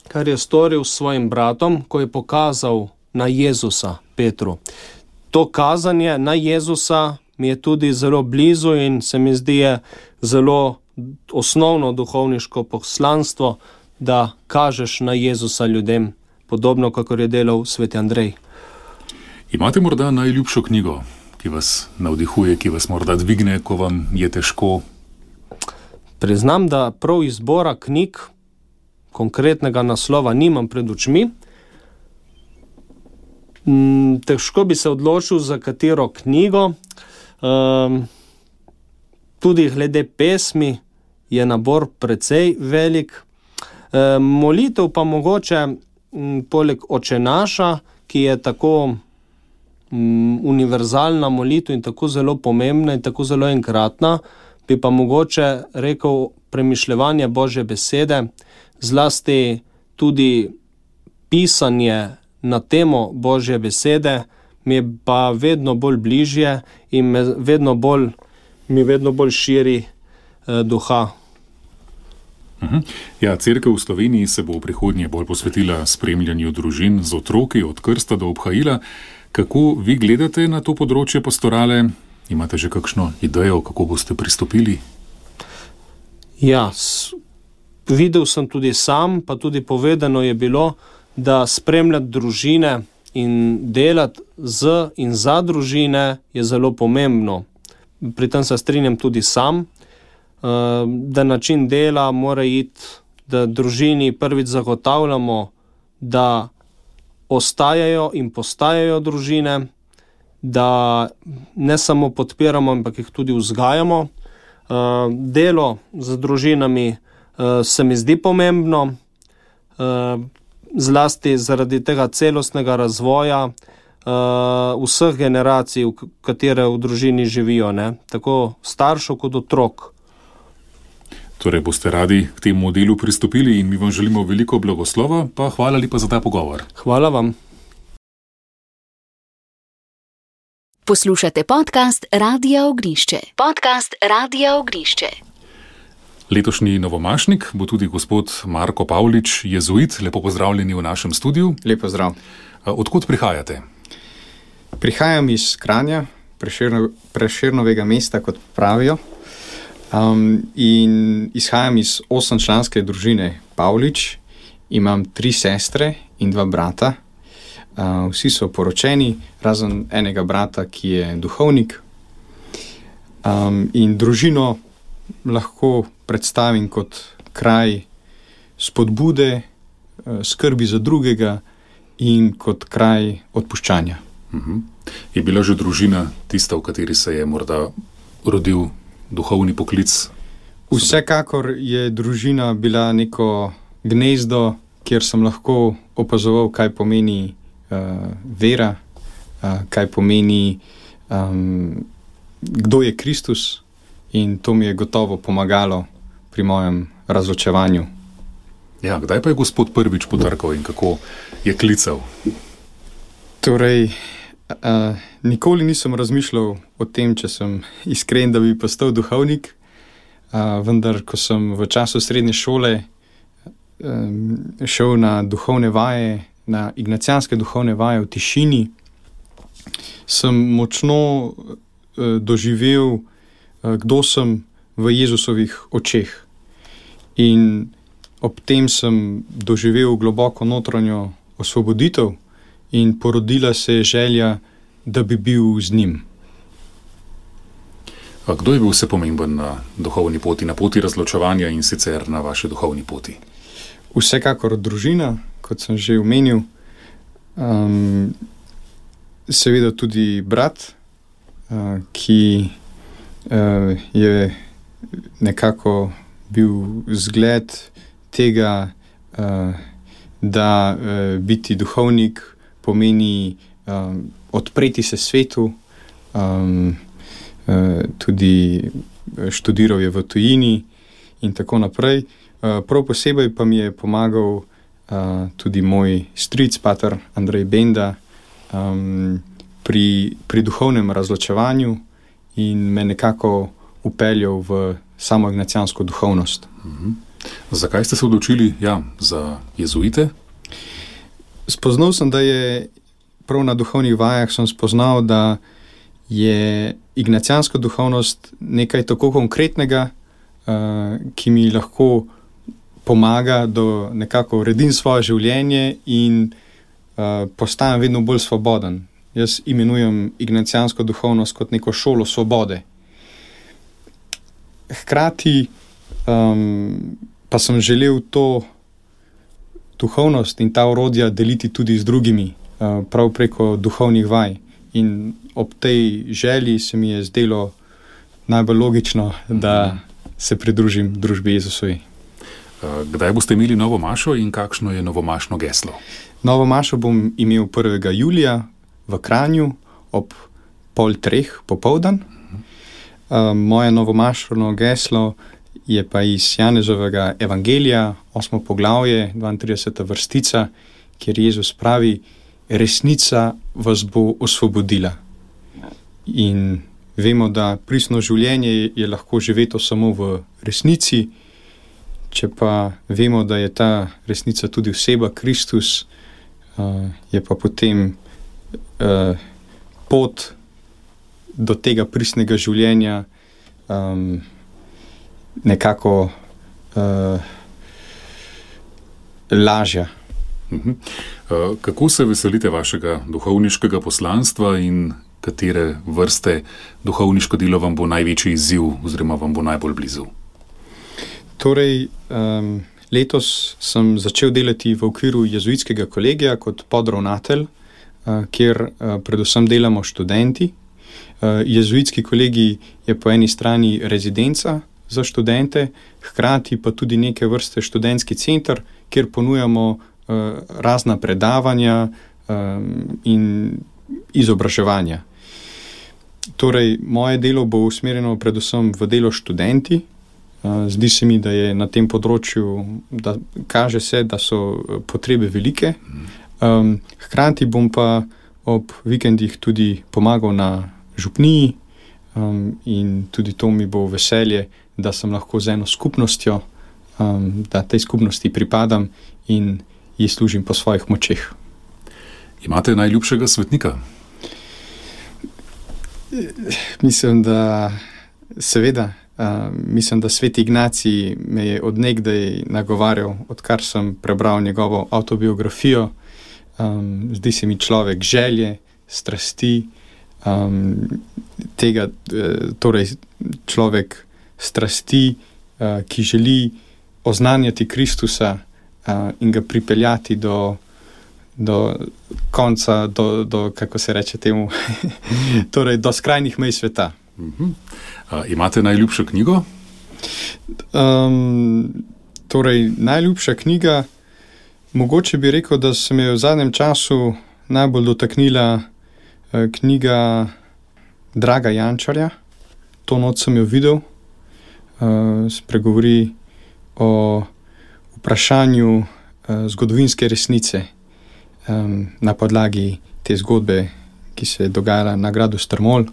kar je storil s svojim bratom, ko je pokazal na Jezusa, Petru. To kazanje na Jezusa mi je tudi zelo blizu in se mi zdi zelo osnovno duhovniško poslanstvo, da kažeš na Jezusa ljudem, podobno kakor je delal sveti Andrej. Imate morda najljubšo knjigo, ki vas navdihuje, ki vas morda dvigne, ko vam je težko? Priznam, da prav izbora knjig, konkretnega naslova nimam pred očmi. Težko bi se odločil za katero knjigo. Tudi glede pesmi je nabor precej velik. Molitev pa mogoče poleg Oče naša, ki je tako univerzalna molitev in tako zelo pomembna in tako zelo enkratna, bi pa mogoče rekel premišljevanje Božje besede, zlasti tudi pisanje na temo Božje besede, mi je pa vedno bolj bližje in mi vedno bolj širi duha. Ja, cerkev v Sloveniji se bo v prihodnje bolj posvetila spremljanju družin z otroki od krsta do obhajila. Kako vi gledate na to področje pastorale? Imate že kakšno idejo, kako boste pristopili? Ja, videl sem tudi sam, pa tudi povedano je bilo, da spremljati družine in delati z in za družine je zelo pomembno. pri tem se strinjam tudi sam, da način dela mora iti, da družini prvič zagotavljamo, da ostajajo in postajajo družine, da ne samo podpiramo, ampak jih tudi vzgajamo. Delo z družinami se mi zdi pomembno, zlasti zaradi tega celostnega razvoja vseh generacij, katere v družini živijo, ne? Tako staršev kot otrok. Torej boste radi k temu delu pristopili in mi vam želimo veliko blagoslova, pa hvala lepa za ta pogovor. Hvala vam. Poslušate podcast Radia Ognišče. Podcast Radia Ognišče. Letošnji novomašnik bo tudi gospod Marko Pavlič, jezuit. Lepo pozdravljeni v našem studiu. Lepo zdrav. Odkot prihajate? Prihajam iz Kranja, Prešernovega mesta, kot pravijo. In izhajam iz 8-članske družine Pavlič. Imam 3 sestre in 2 brata. Vsi so poročeni, razen enega brata, ki je duhovnik. In družino lahko predstavim kot kraj spodbude, skrbi za drugega in kot kraj odpuščanja. Je bila že družina tista, v kateri se je morda rodil duhovni poklic? Vsekakor je družina bila neko gnezdo, kjer sem lahko opazoval, kaj pomeni vera, kaj pomeni, kdo je Kristus, in to mi je gotovo pomagalo pri mojem razločevanju. Ja, kdaj pa je gospod prvič potrkal in kako je klical? Torej, nikoli nisem razmišljal o tem, če sem iskren, da bi postal duhovnik, vendar ko sem v času srednje šole šel na duhovne vaje, na ignacijanske duhovne vaje v tišini, sem močno doživel, kdo sem v Jezusovih očeh. In ob tem sem doživel globoko notranjo osvoboditev in porodila se je želja, da bi bil z njim. A kdo je bil vse pomemben na duhovni poti, na poti razločevanja in sicer na vaši duhovni poti? Vsekakor družina, kot sem že omenil, seveda tudi brat, ki je nekako bil zgled tega, da biti duhovnik pomeni odpreti se svetu, tudi študiral je v tujini in tako naprej. Prav posebej pa mi je pomagal tudi moj stric, pater Andrej Benda, pri duhovnem razločevanju in me nekako upeljal v samo ignacijansko duhovnost. Zakaj ste se odločili za jezuite? Spoznal sem, da je prav na duhovnih vajah sem spoznal, da je ignacijanska duhovnost nekaj tako konkretnega, ki mi lahko pomaga, da nekako uredim svoje življenje in postajam vedno bolj svoboden. Jaz imenujem ignacijansko duhovnost kot neko šolo svobode. Hkrati pa sem želel to duhovnost in ta orodja deliti tudi z drugimi, prav preko duhovnih vaj. In ob tej želji se mi je zdelo najbolj logično, da se pridružim družbi Jezusovi. Kdaj boste imeli novo mašo in kakšno je novomašno geslo? Novo mašo bom imel 1. julija v Kranju ob 2:30 popoldan. Moje novomašno geslo je pa iz Janezovega evangelija, 8. poglavje, 32. vrstica, kjer Jezus pravi: resnica vas bo osvobodila. In vemo, da pristno življenje je lahko živeto samo v resnici. Če pa vemo, da je ta resnica tudi oseba Kristus, je pa potem pot do tega pristnega življenja nekako lažja. Kako se veselite vašega duhovniškega poslanstva in katere vrste duhovniško delo vam bo največji izziv oziroma vam bo najbolj blizu? Torej, letos sem začel delati v okviru jezuitskega kolegija kot podravnatelj, kjer predvsem delamo študenti. Jezuitski kolegij je po eni strani rezidenca za študente, hkrati pa tudi neke vrste študentski center, kjer ponujamo razna predavanja in izobraževanja. Torej, moje delo bo usmerjeno predvsem v delo študenti. Zdi se mi, da je na tem področju, da kaže se, da so potrebe velike. Hkrati bom pa ob vikendih tudi pomagal na župniji in tudi to mi bo veselje, da sem lahko z eno skupnostjo, da tej skupnosti pripadam in ji služim po svojih močeh. Imate najljubšega svetnika? Mislim, da seveda. Mislim, da Sveti Ignacij me je od nekdaj nagovarjal, odkar sem prebral njegovo avtobiografijo. Zdi se mi človek želje, strasti, torej človek strasti, ki želi oznanjati Kristusa in ga pripeljati do konca, kako se reče temu, torej do skrajnih mej sveta. Imate najljubšo knjigo? Torej, najljubša knjiga, mogoče bi rekel, da se me je v zadnjem času najbolj dotaknila knjiga Draga Jančarja. To noč sem jo videl. Spregovori o vprašanju zgodovinske resnice na podlagi te zgodbe, ki se je dogajala na gradu Strmol.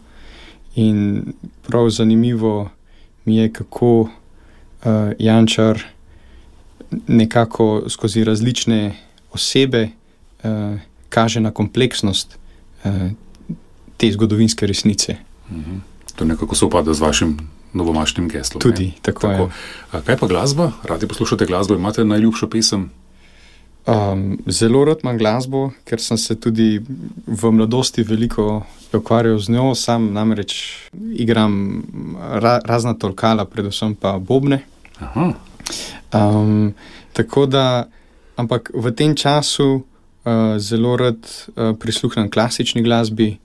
In prav zanimivo mi je, kako Jančar nekako skozi različne osebe kaže na kompleksnost te zgodovinske resnice. To nekako sovpada z vašim novomašnim geslom. Tudi, tako je. Kaj pa glasba? Radi poslušate glasbo? Imate najljubšo pesem? Zelo rad imam glasbo, ker sem se tudi v mladosti veliko ukvarjal z njo, sam namreč igram razna tolkala, predvsem pa bobne. Tako da, ampak v tem času zelo rad prisluhnem klasični glasbi,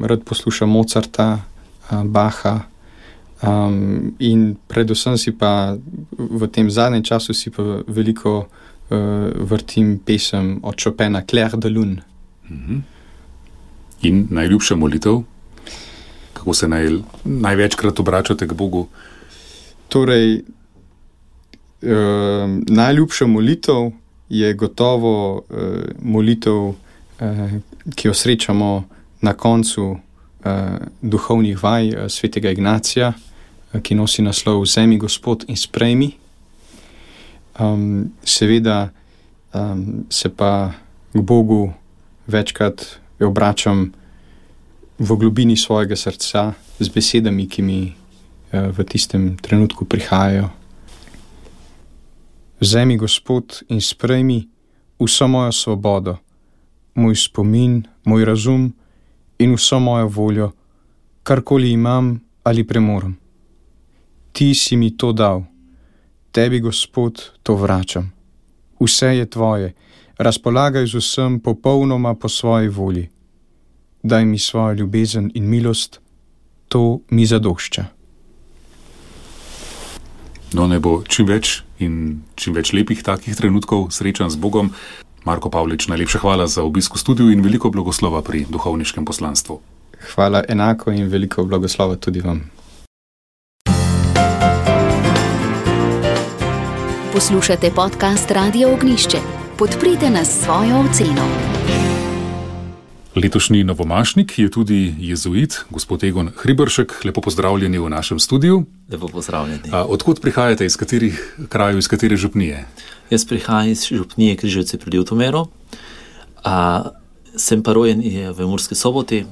rad poslušam Mozarta, Bacha in predvsem si pa v tem zadnjem času si pa veliko vrtim pesem od Chopina Clair de Lune. In najljubša molitev? Kako se največkrat obračate k Bogu? Torej, najljubša molitev je gotovo molitev, ki jo srečamo na koncu duhovnih vaj svetega Ignacija, ki nosi naslov Vzemi, Gospod, in sprejmi. Seveda se pa k Bogu večkrat obračam v globini svojega srca z besedami, ki mi v tistem trenutku prihajajo. Vzemi, Gospod, in sprejmi vso mojo svobodo, moj spomin, moj razum in vso mojo voljo, karkoli imam ali premorem. Ti si mi to dal. Tebi, Gospod, to vračam. Vse je tvoje, razpolagaj z vsem popolnoma po svoji volji. Daj mi svojo ljubezen in milost, to mi zadošča. No, ne bo čim več lepih takih trenutkov srečan z Bogom. Marko Pavlič, najlepša hvala za obisk v studiu in veliko blagoslova pri duhovniškem poslanstvu. Hvala enako in veliko blagoslova tudi vam. Poslušate podcast Radio Ognišče. Podprite nas s svojo oceno. Letošnji novomašnik je tudi jezuit, gospod Egon Hriberšek. Lepo pozdravljeni v našem studiu. Lepo pozdravljeni. Odkot prihajate, iz katerih krajev, iz katere župnije? Jaz prihajam iz župnije Križevci pri Ljutomeru. Sem pa rojen v Murski Soboti,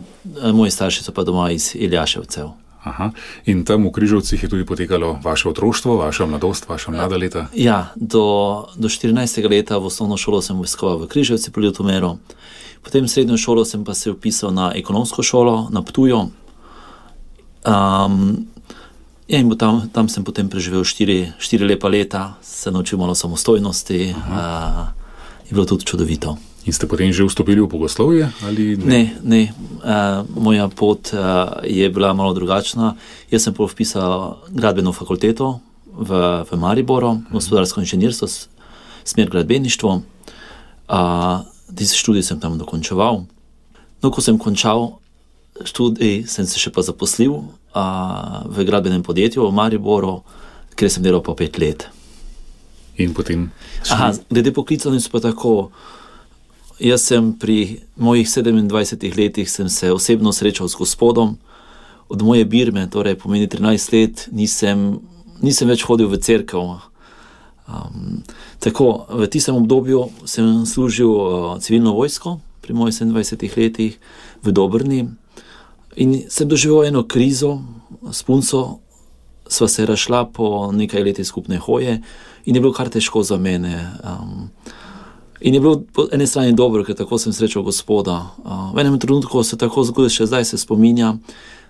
moji starši so pa doma iz Iljaševcev. Aha. In tam v Križevcih je tudi potekalo vaše otroštvo, vaša mladost, vaša mlada leta? Ja, do 14. leta v osnovno šolo sem obiskoval v Križevci pri Ljutomeru. Potem srednjo šolo sem pa se vpisal na ekonomsko šolo na Ptuju. In tam sem potem preživel 4 lepa leta, se naučil malo samostojnosti, je bilo tudi čudovito. In ste potem že vstopili v bogoslovje? Ali ne. Moja pot je bila malo drugačna. Jaz sem vpisal gradbeno fakulteto v Mariboru, gospodarsko inženirstvo, smer gradbeništvo. Tisti študij sem tam dokončeval. No, ko sem končal študij, sem se še pa zaposlil v gradbenem podjetju v Mariboru, kjer sem delal pa 5 let. In potem? Glede poklicanosti pa tako. Jaz sem pri mojih 27 letih sem se osebno srečal s Gospodom. Od moje birme, torej pomeni 13 let, nisem več hodil v cerkev. Tako, v tistem obdobju sem služil civilno vojsko pri mojih 27 letih v Dobrni in sem doživel eno krizo s punco, sva se razšla po nekaj letih skupne hoje in je bilo kar težko za mene. In je bilo po eni strani dobro, ker tako sem srečal Gospoda. V enem trenutku se tako zgodilo, še zdaj se spominja,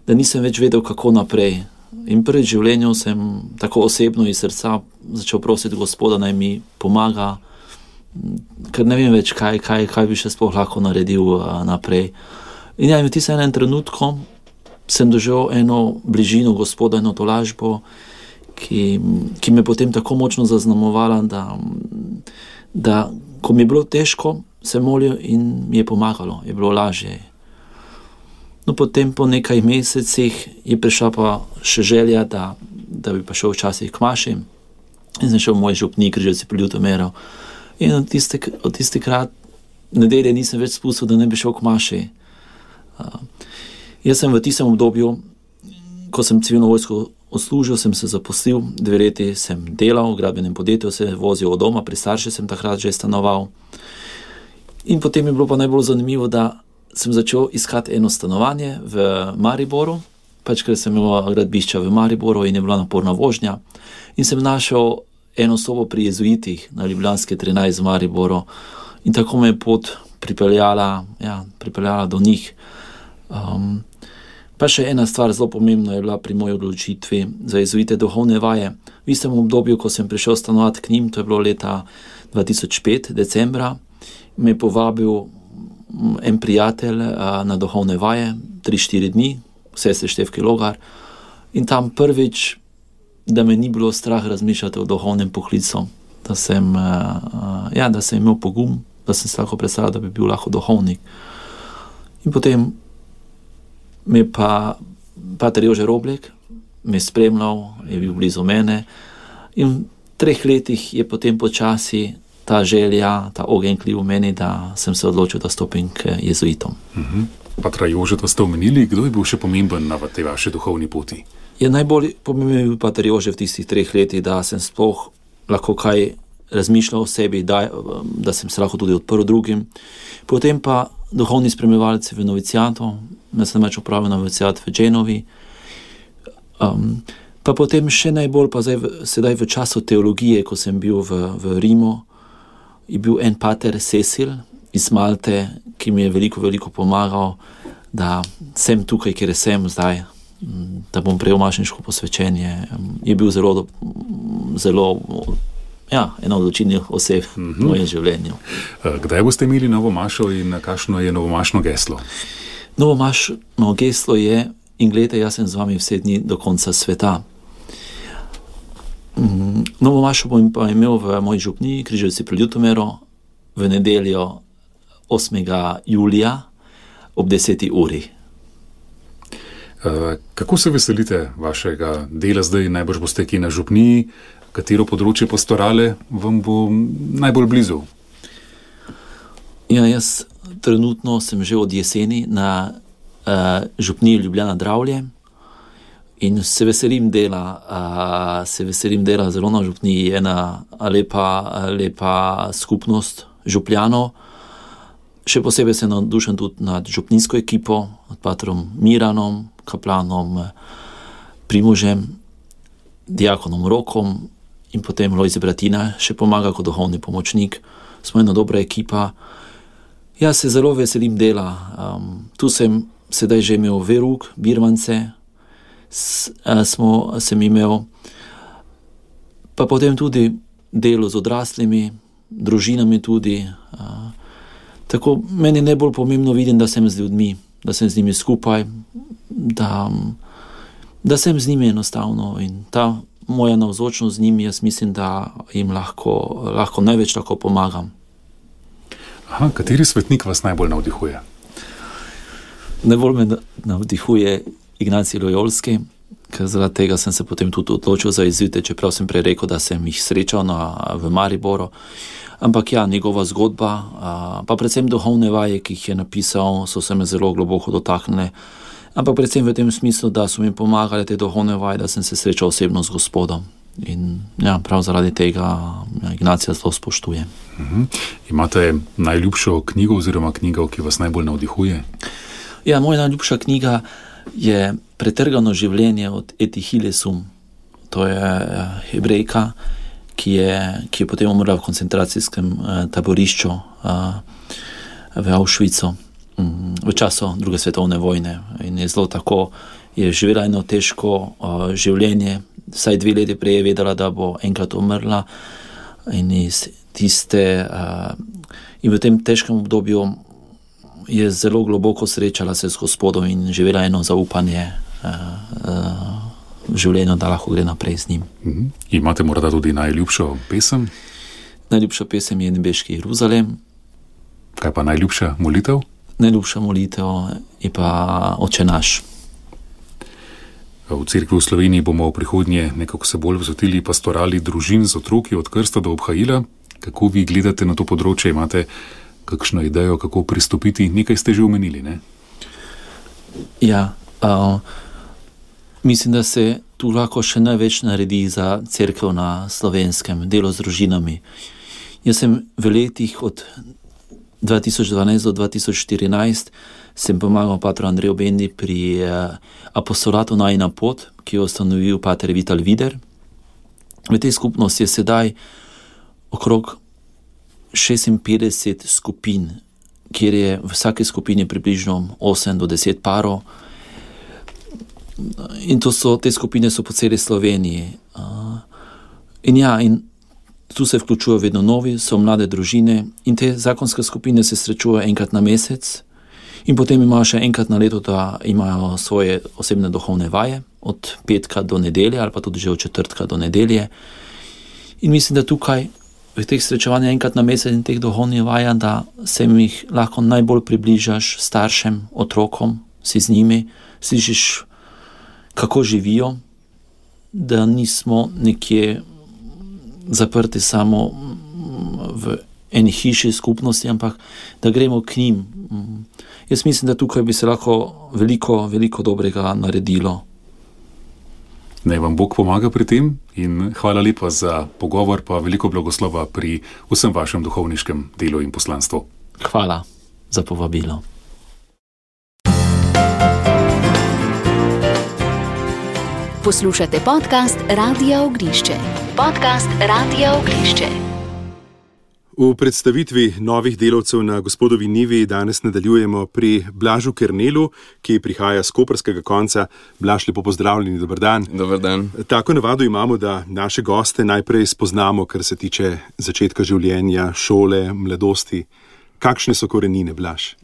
da nisem več vedel, kako naprej. In prvi v življenju sem tako osebno iz srca začel prositi Gospoda, naj mi pomaga, ker ne vem več, kaj bi še sploh lahko naredil naprej. In v tistem enem trenutku sem doživel eno bližino Gospoda, eno tolažbo, ki me potem tako močno zaznamovala, da ko mi je bilo težko, sem molil in mi je pomagalo, je bilo lažje. No, potem po nekaj mesecih je prišla pa še želja, da bi pa šel včasih k maši in sem šel v moj župnik Križevci pri Ljutomeru. In od tistikrat nedelje nisem več spustil, da ne bi šel k maši. Jaz sem v tistem obdobju, ko sem civilno vojsko odslužil, sem se zaposlil, 2 leti sem delal v gradbenem podjetju, se vozil od doma, pri starši sem takrat že stanoval. In potem je bilo pa najbolj zanimivo, da sem začel iskati eno stanovanje v Mariboru, ker sem imel gradbišča v Mariboru in je bila naporna vožnja. In sem našel eno sobo pri jezuitih na Ljubljanske 13 v Mariboru in tako me je pot pripeljala do njih. Pa še ena stvar zelo pomembna je bila pri moji odločitvi za jezuite duhovne vaje. V istem obdobju, ko sem prišel stanovati k njim, to je bilo leta 2005, decembra, me je povabil en prijatelj na duhovne vaje, 3-4 dni, sestre Štefke Logar. In tam prvič, da me ni bilo strah razmišljati o duhovnem poklicu, da sem imel pogum, da sem se lahko predstavljal, da bi bil lahko duhovnik. In potem me pa pater Jože Roblek me spremljal, je bil blizu mene in v 3 letih je potem počasi ta želja, ta ogenj klil v meni, da sem se odločil, da stopim k jezuitom. Patra Jožeta ste omenili, kdo je bil še pomemben na tej vaši duhovni poti? Najbolj pomemben je bil pater Jože v tistih 3 letih, da sem sploh lahko kaj razmišljal o sebi, da sem se lahko tudi odprl drugim. Potem pa duhovni spremljevalci v novicijatu, jaz sem več opravil novicijat v Genovi. Pa potem še najbolj pa sedaj v času teologije, ko sem bil v Rimu, je bil en pater Cecil iz Malte, ki mi je veliko pomagal, da sem tukaj, kjer sem zdaj, da bom prejel mašniško posvečenje. Je bil zelo ena od odločilnih oseb v mojem življenju. Kdaj boste imeli novo mašo in kakšno je novomašno geslo? Novomašno geslo je: in glejte, jaz sem z vami vse dni do konca sveta. Novo mašo bom pa imel v moji župniji Križevci pri Ljutomeru v nedeljo 8. julija ob 10. uri. Kako se veselite vašega dela zdaj? Najbrž boste kje na župniji, katero področje pastorale vam bo najbolj blizu? Jaz trenutno sem že od jeseni na župniji Ljubljana Dravlje in se veselim dela zelo na župniji. Ena lepa skupnost župljanov. Še posebej sem navdušen tudi nad župninsko ekipo, nad patrom Miranom, kaplanom Primožem, diakonom Rokom in potem Lojze Bratina še pomaga kot duhovni pomočnik. Smo ena dobra ekipa. Jaz se zelo veselim dela. Tu sem sedaj že imel veruk, birmance, sem imel, pa potem tudi delo z odraslimi, družinami tudi. Tako meni najbolj pomembno vidim, da sem z ljudmi, da sem z njimi skupaj, da sem z njimi enostavno in ta moja navzočnost z njimi, jaz mislim, da jim lahko največ tako pomagam. Aha, kateri svetnik vas najbolj navdihuje? Najbolj me navdihuje Ignacij Lojolski, ker zaradi tega sem se potem tudi odločil za jezuite, čeprav sem prej rekel, da sem jih srečal v Mariboru. Ampak ja, njegova zgodba, pa predvsem duhovne vaje, ki jih je napisal, so se me zelo globoko dotaknile. Ampak predvsem v tem smislu, da so mi pomagali te duhovne vaje, da sem se srečal osebno z Gospodom. In ja, prav zaradi tega Ignacija zelo spoštujem. Imate najljubšo knjigo oziroma knjigo, ki vas najbolj navdihuje? Ja, moja najljubša knjiga je Pretrgano življenje od Eti Hillesum. To je Hebrejka, ki je potem umrla v koncentracijskem taborišču v Auschwitzu v času druge svetovne vojne. In je zelo tako, je živela eno težko življenje, vsaj 2 leti prej je vedela, da bo enkrat umrla in in v tem težkem obdobju je zelo globoko srečala se z Gospodom in živela eno zaupanje v življenju, da lahko gre naprej z njim. Imate morda tudi najljubšo pesem? Najljubša pesem je Nebeški Jeruzalem. Kaj pa najljubša molitev? Najljubša molitev je pa Oče naš. V Cerkvi v Sloveniji bomo v prihodnje nekako se bolj vzotili pastorali družin z otroki od krsta do obhajila. Kako vi gledate na to področje? Imate kakšno idejo, kako pristopiti? Nekaj ste že omenili, ne? Ja, mislim, da se tu lahko še največ naredi za cerkev na Slovenskem, delo z družinami. Jaz sem v letih od 2012 do 2014 sem pomagal patru Andreju Bendi pri apostolatu Najina pot, ki jo ustanovil pater Vital Vider. V tej skupnosti je sedaj okrog 56 skupin, kjer je v vsaki skupini približno 8 do 10 parov. In te skupine so po celi Sloveniji. In tu se vključujejo vedno novi, so mlade družine in te zakonske skupine se srečujejo enkrat na mesec in potem imajo še enkrat na leto, da imajo svoje osebne duhovne vaje od petka do nedelje ali pa tudi že od četrtka do nedelje. In mislim, da tukaj v teh srečevanjih enkrat na mesec in teh duhovnih vaja, da se jih lahko najbolj približaš staršem, otrokom, si z njimi, slišiš, kako živijo, da nismo nekje zaprti samo v eni hiši skupnosti, ampak da gremo k njim. Jaz mislim, da tukaj bi se lahko veliko, veliko dobrega naredilo. Naj vam Bog pomaga pri tem in hvala lepa za pogovor, pa veliko blagoslova pri vsem vašem duhovniškem delu in poslanstvu. Hvala za povabilo. Poslušate podcast Radia Ognišče. Podcast Radia Ognišče. V predstavitvi novih delavcev na Gospodovi njivi danes nadaljujemo pri Blažu Kernelu, ki prihaja z koprskega konca. Blaž, lepo pozdravljeni, dober dan. Dober dan. Tako navado imamo, da naše goste najprej spoznamo, kar se tiče začetka življenja, šole, mladosti. Kakšne so korenine, Blaž?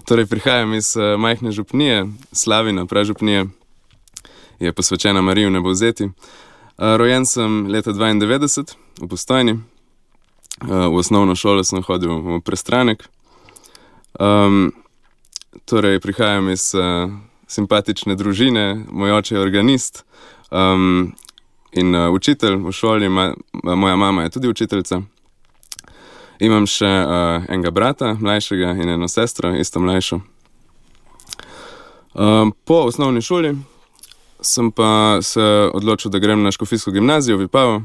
Torej, prihajam iz majhne župnije, Slavina, pražupnije, je posvečena Mariji v Nebovzeti. Rojen sem leta 92 v Postojni. V osnovno šolo sem hodil v Prestranek. Torej, prihajam iz simpatične družine, moj oče je organist in učitelj v šoli, moja mama je tudi učiteljica. Imam še enega brata, mlajšega, in eno sestro, isto mlajšo. Po osnovni šoli sem pa se odločil, da grem na škofijsko gimnazijo v Vipavo.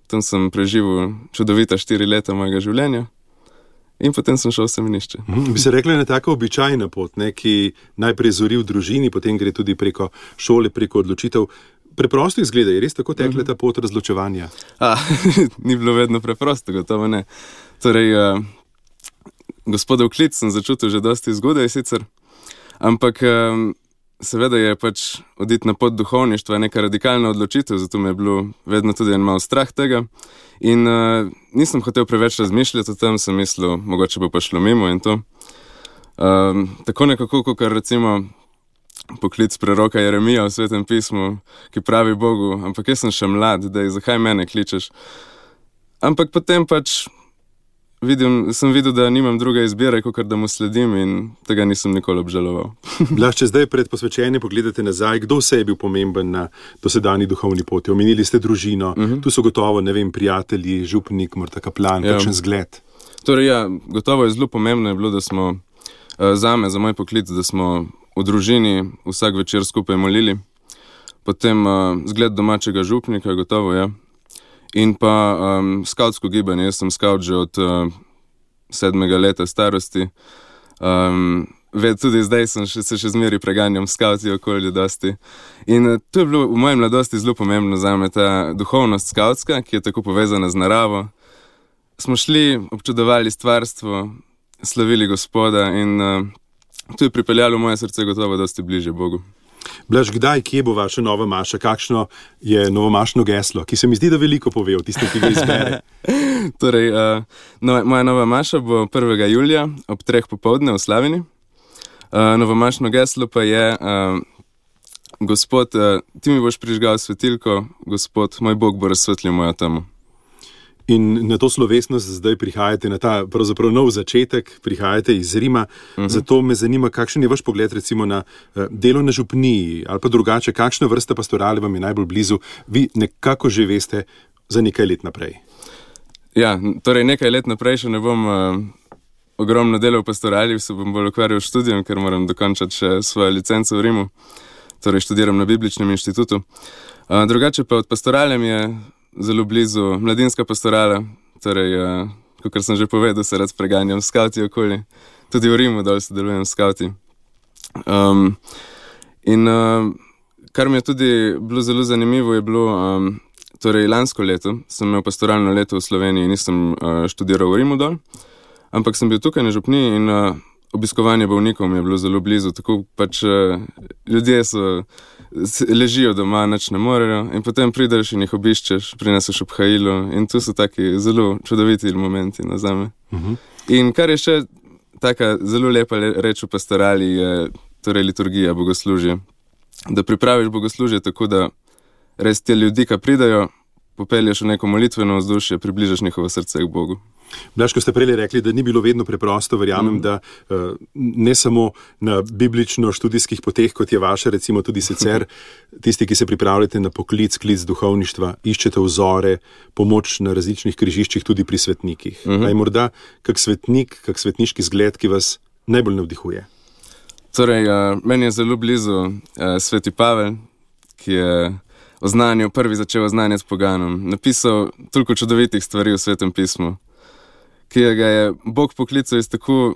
Tam sem preživel čudovita 4 leta mojega življenja In potem sem šel v semenišče. Bi se rekli, na tako običajna pot, ne, ki najprej zori v družini, potem gre tudi preko šole, preko odločitev. Preprosto izgleda, je res tako tekla ta pot razločevanja? Ni bilo vedno preprosto, gotovo ne. Torej, gospodov klic sem začutil že dosti zgodaj sicer, ampak seveda je pač oditi na pot duhovništva neka radikalna odločitev, zato me je bilo vedno tudi en malo strah tega. In nisem hotel preveč razmišljati o tem, sem mislil, mogoče bo pa šlo mimo in to. Tako nekako, kot recimo poklic preroka Jeremija v Svetem pismu, ki pravi Bogu, ampak jaz sem še mlad, zakaj mene kličeš? Ampak potem pač sem videl, da nimam druge izbire, kot da mu sledim in tega nisem nikoli obžaloval. Blaž, če zdaj pred posvečenjem pogledate nazaj, kdo vse je bil pomemben na dosedanji duhovni poti? Omenili ste družino, tu so gotovo, ne vem, prijatelji, župnik, morda kaplan, kakšen zgled. Torej ja, gotovo je zelo pomembno je bilo, da smo zame, za moj poklic, da smo v družini vsak večer skupaj molili. Potem zgled domačega župnika, gotovo, ja. In pa skavtsko gibanje. Jaz sem skavt že od 7. leta starosti. Tudi zdaj se še zmeri preganjam skavti okolje dosti. In to je bilo v moji mladosti zelo pomembno zame, ta duhovnost skavtska, ki je tako povezana z naravo. Smo šli, občudovali stvarstvo, slavili Gospoda in to je pripeljalo moje srce gotovo dosti bližje Bogu. Blaž, kdaj, kje bo vaša nova maša? Kakšno je novomašno geslo, ki se mi zdi, da veliko pove o tistem, ki ga izbere? Torej, moja nova maša bo 1. julija ob 3 popoldne v Slavini. Novomašno geslo pa je Gospod, ti mi boš prižgal svetilko, Gospod, moj Bog bo razsvetlil mojo temo. In na to slovesnost zdaj prihajate, na ta pravzaprav nov začetek, prihajate iz Rima. Zato me zanima, kakšen je vaš pogled recimo na delo na župniji ali pa drugače, kakšna vrsta pastorale vam je najbolj blizu, vi nekako že veste za nekaj let naprej. Ja, torej nekaj let naprej še ne bom ogromno delal v pastorali, se bom bolj ukvarjal s študijem, ker moram dokončati še svojo licenco v Rimu, torej študiram na Bibličnem inštitutu. Drugače pa od pastorale mi je zelo blizu mladinska pastorala, torej, kakor sem že povedal, se rad preganjam skavti okoli. Tudi v Rimu dol sodelujem s skavti. Kar mi je tudi bilo zelo zanimivo, je bilo, torej lansko leto sem imel pastoralno leto v Sloveniji, nisem študiral v Rimu dol, ampak sem bil tukaj na župniji in obiskovanje bolnikov mi je bilo zelo blizu, tako pač ljudje ležijo doma, nič ne morejo in potem prideš in jih obiščeš, prineseš obhajilo in tu so taki zelo čudoviti momenti zame. In kar je še taka zelo lepa reč v pastorali je torej liturgija, bogoslužje. Da pripraviš bogoslužje tako, da res te ljudi, ki pridajo, popelješ v neko molitveno vzdušje, približaš njihovo srce k Bogu. Blaž, ko ste prej rekli, da ni bilo vedno preprosto, verjamem, da ne samo na biblično-študijskih poteh, kot je vaša, recimo tudi sicer, tisti, ki se pripravljate na poklic, klic duhovništva, iščete vzore, pomoč na različnih križiščih, tudi pri svetnikih. Je morda kak svetnik, kak svetniški zgled, ki vas najbolj navdihuje? Torej, meni je zelo blizu sveti Pavel, ki je prvi začel oznanjati poganom. Napisal toliko čudovitih stvari v Svetem pismu, ki ga je Bog poklical iz tako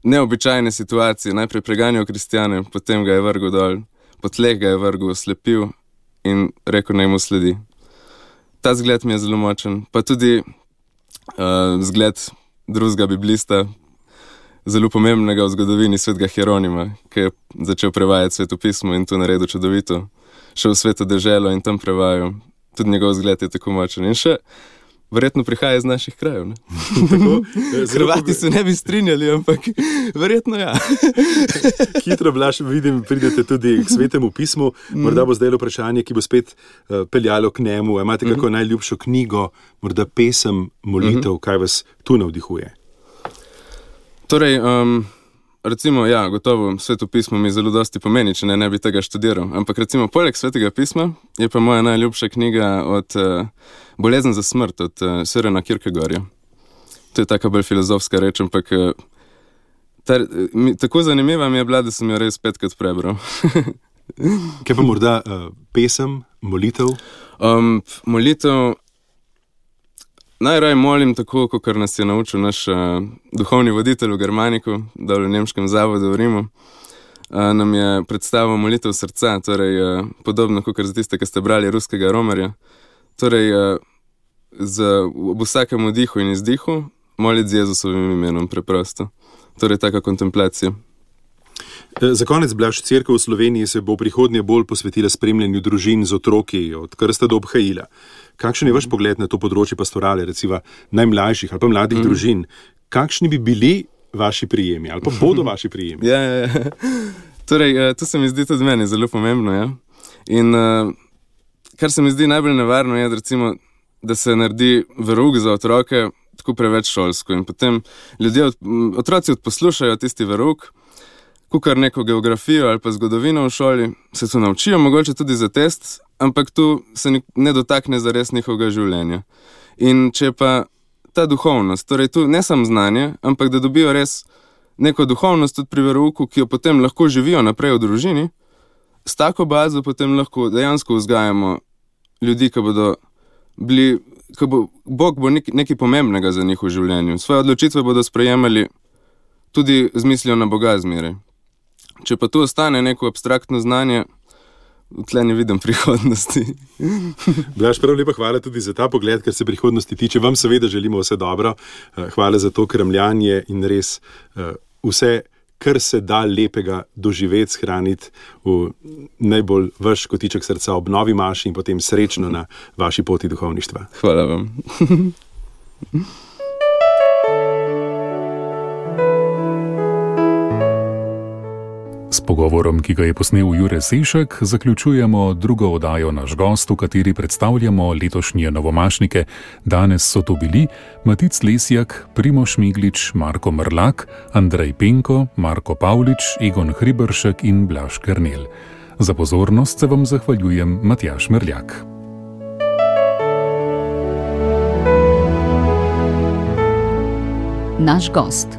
neobičajne situacije. Najprej preganjal kristjane, potem ga je vrgel dol, po tleh ga je vrgel, oslepil in rekel, naj mu sledi. Ta zgled mi je zelo močen. Pa tudi zgled drugega biblista, zelo pomembnega v zgodovini, svetega Hieronima, ki je začel prevajati Sveto pismo in to naredil čudovito. Šel v sveto deželo in tam prevajal. Tudi njegov zgled je tako močen. In še verjetno prihaja iz naših krajev. Hrvati se ne bi strinjali, ampak verjetno ja. Hitro, Blaž, vidim, pridete tudi k Svetemu pismu. Morda bo zdaj vprašanje, ki bo spet peljalo k njemu. Imate kako najljubšo knjigo, morda pesem, molitev, kaj vas tu navdihuje? Torej, recimo, ja, gotovo, Sveto pismo mi zelo dosti pomeni, če ne bi tega študiral. Ampak recimo, poleg Svetega pisma je pa moja najljubša knjiga od Bolezen za smrt, od Sørena Kierkegaarda. To je taka bolj filozofska reč, ampak tako zanimiva mi je bila, da sem jo res 5krat prebral. Kaj pa morda pesem, molitev? Molitev, najraje molim tako, kot nas je naučil naš duhovni voditelj v Germaniku, dol v nemškem zavodu v Rimu. Nam je predstavil molitev srca, torej podobno kot za tiste, ki ste brali ruskega romarja. Torej, ob vsakem vdihu in izdihu moliti z Jezusovim imenom preprosto. Torej, taka kontemplacija. Za konec, Blaž, Cerkev v Sloveniji se bo prihodnje bolj posvetila spremljanju družin z otroki, od krsta do obhajila. Kakšen je vaš pogled na to področje pastorale, recimo najmlajših ali pa mladih družin? Kakšni bi bili vaši prijemi ali pa bodo vaši prijemi? Ja. Torej, to se mi zdi tudi meni zelo pomembno. Ja? In kar se mi zdi najbolj nevarno je, recimo, da se naredi verouk za otroke tako preveč šolsko in potem otroci odposlušajo tisti verouk, kukar neko geografijo ali pa zgodovino v šoli, se to naučijo, mogoče tudi za test, ampak tu se ne dotakne zares njihovega življenja. In če pa ta duhovnost, torej tu ne samo znanje, ampak da dobijo res neko duhovnost tudi pri verouku, ki jo potem lahko živijo naprej v družini, s tako bazo potem lahko dejansko vzgajamo ljudi, ki bodo bili, Bog bo nekaj pomembnega za njih v življenju. Svoje odločitve bodo sprejemali tudi z mislijo na Boga zmeraj. Če pa tu ostane neko abstraktno znanje, tle ne vidim prihodnosti. Blaž, prav lepa hvala tudi za ta pogled, ker se prihodnosti tiče. Vam seveda želimo vse dobro. Hvala za to kramljanje in res vse, kar se da lepega doživeti, shraniti v najbolj vaš kotiček srca ob novi maši in potem srečno na vaši poti duhovništva. Hvala vam. S pogovorom, ki ga je posnel Jure Sešek, zaključujemo drugo oddajo Naš gost, v kateri predstavljamo letošnje novomašnike. Danes so to bili Matic Lesjak, Primož Miglič, Marko Mrlak, Andrej Penko, Marko Pavlič, Egon Hriberšek in Blaž Kernel. Za pozornost se vam zahvaljujem, Matjaž Merljak. Naš gost.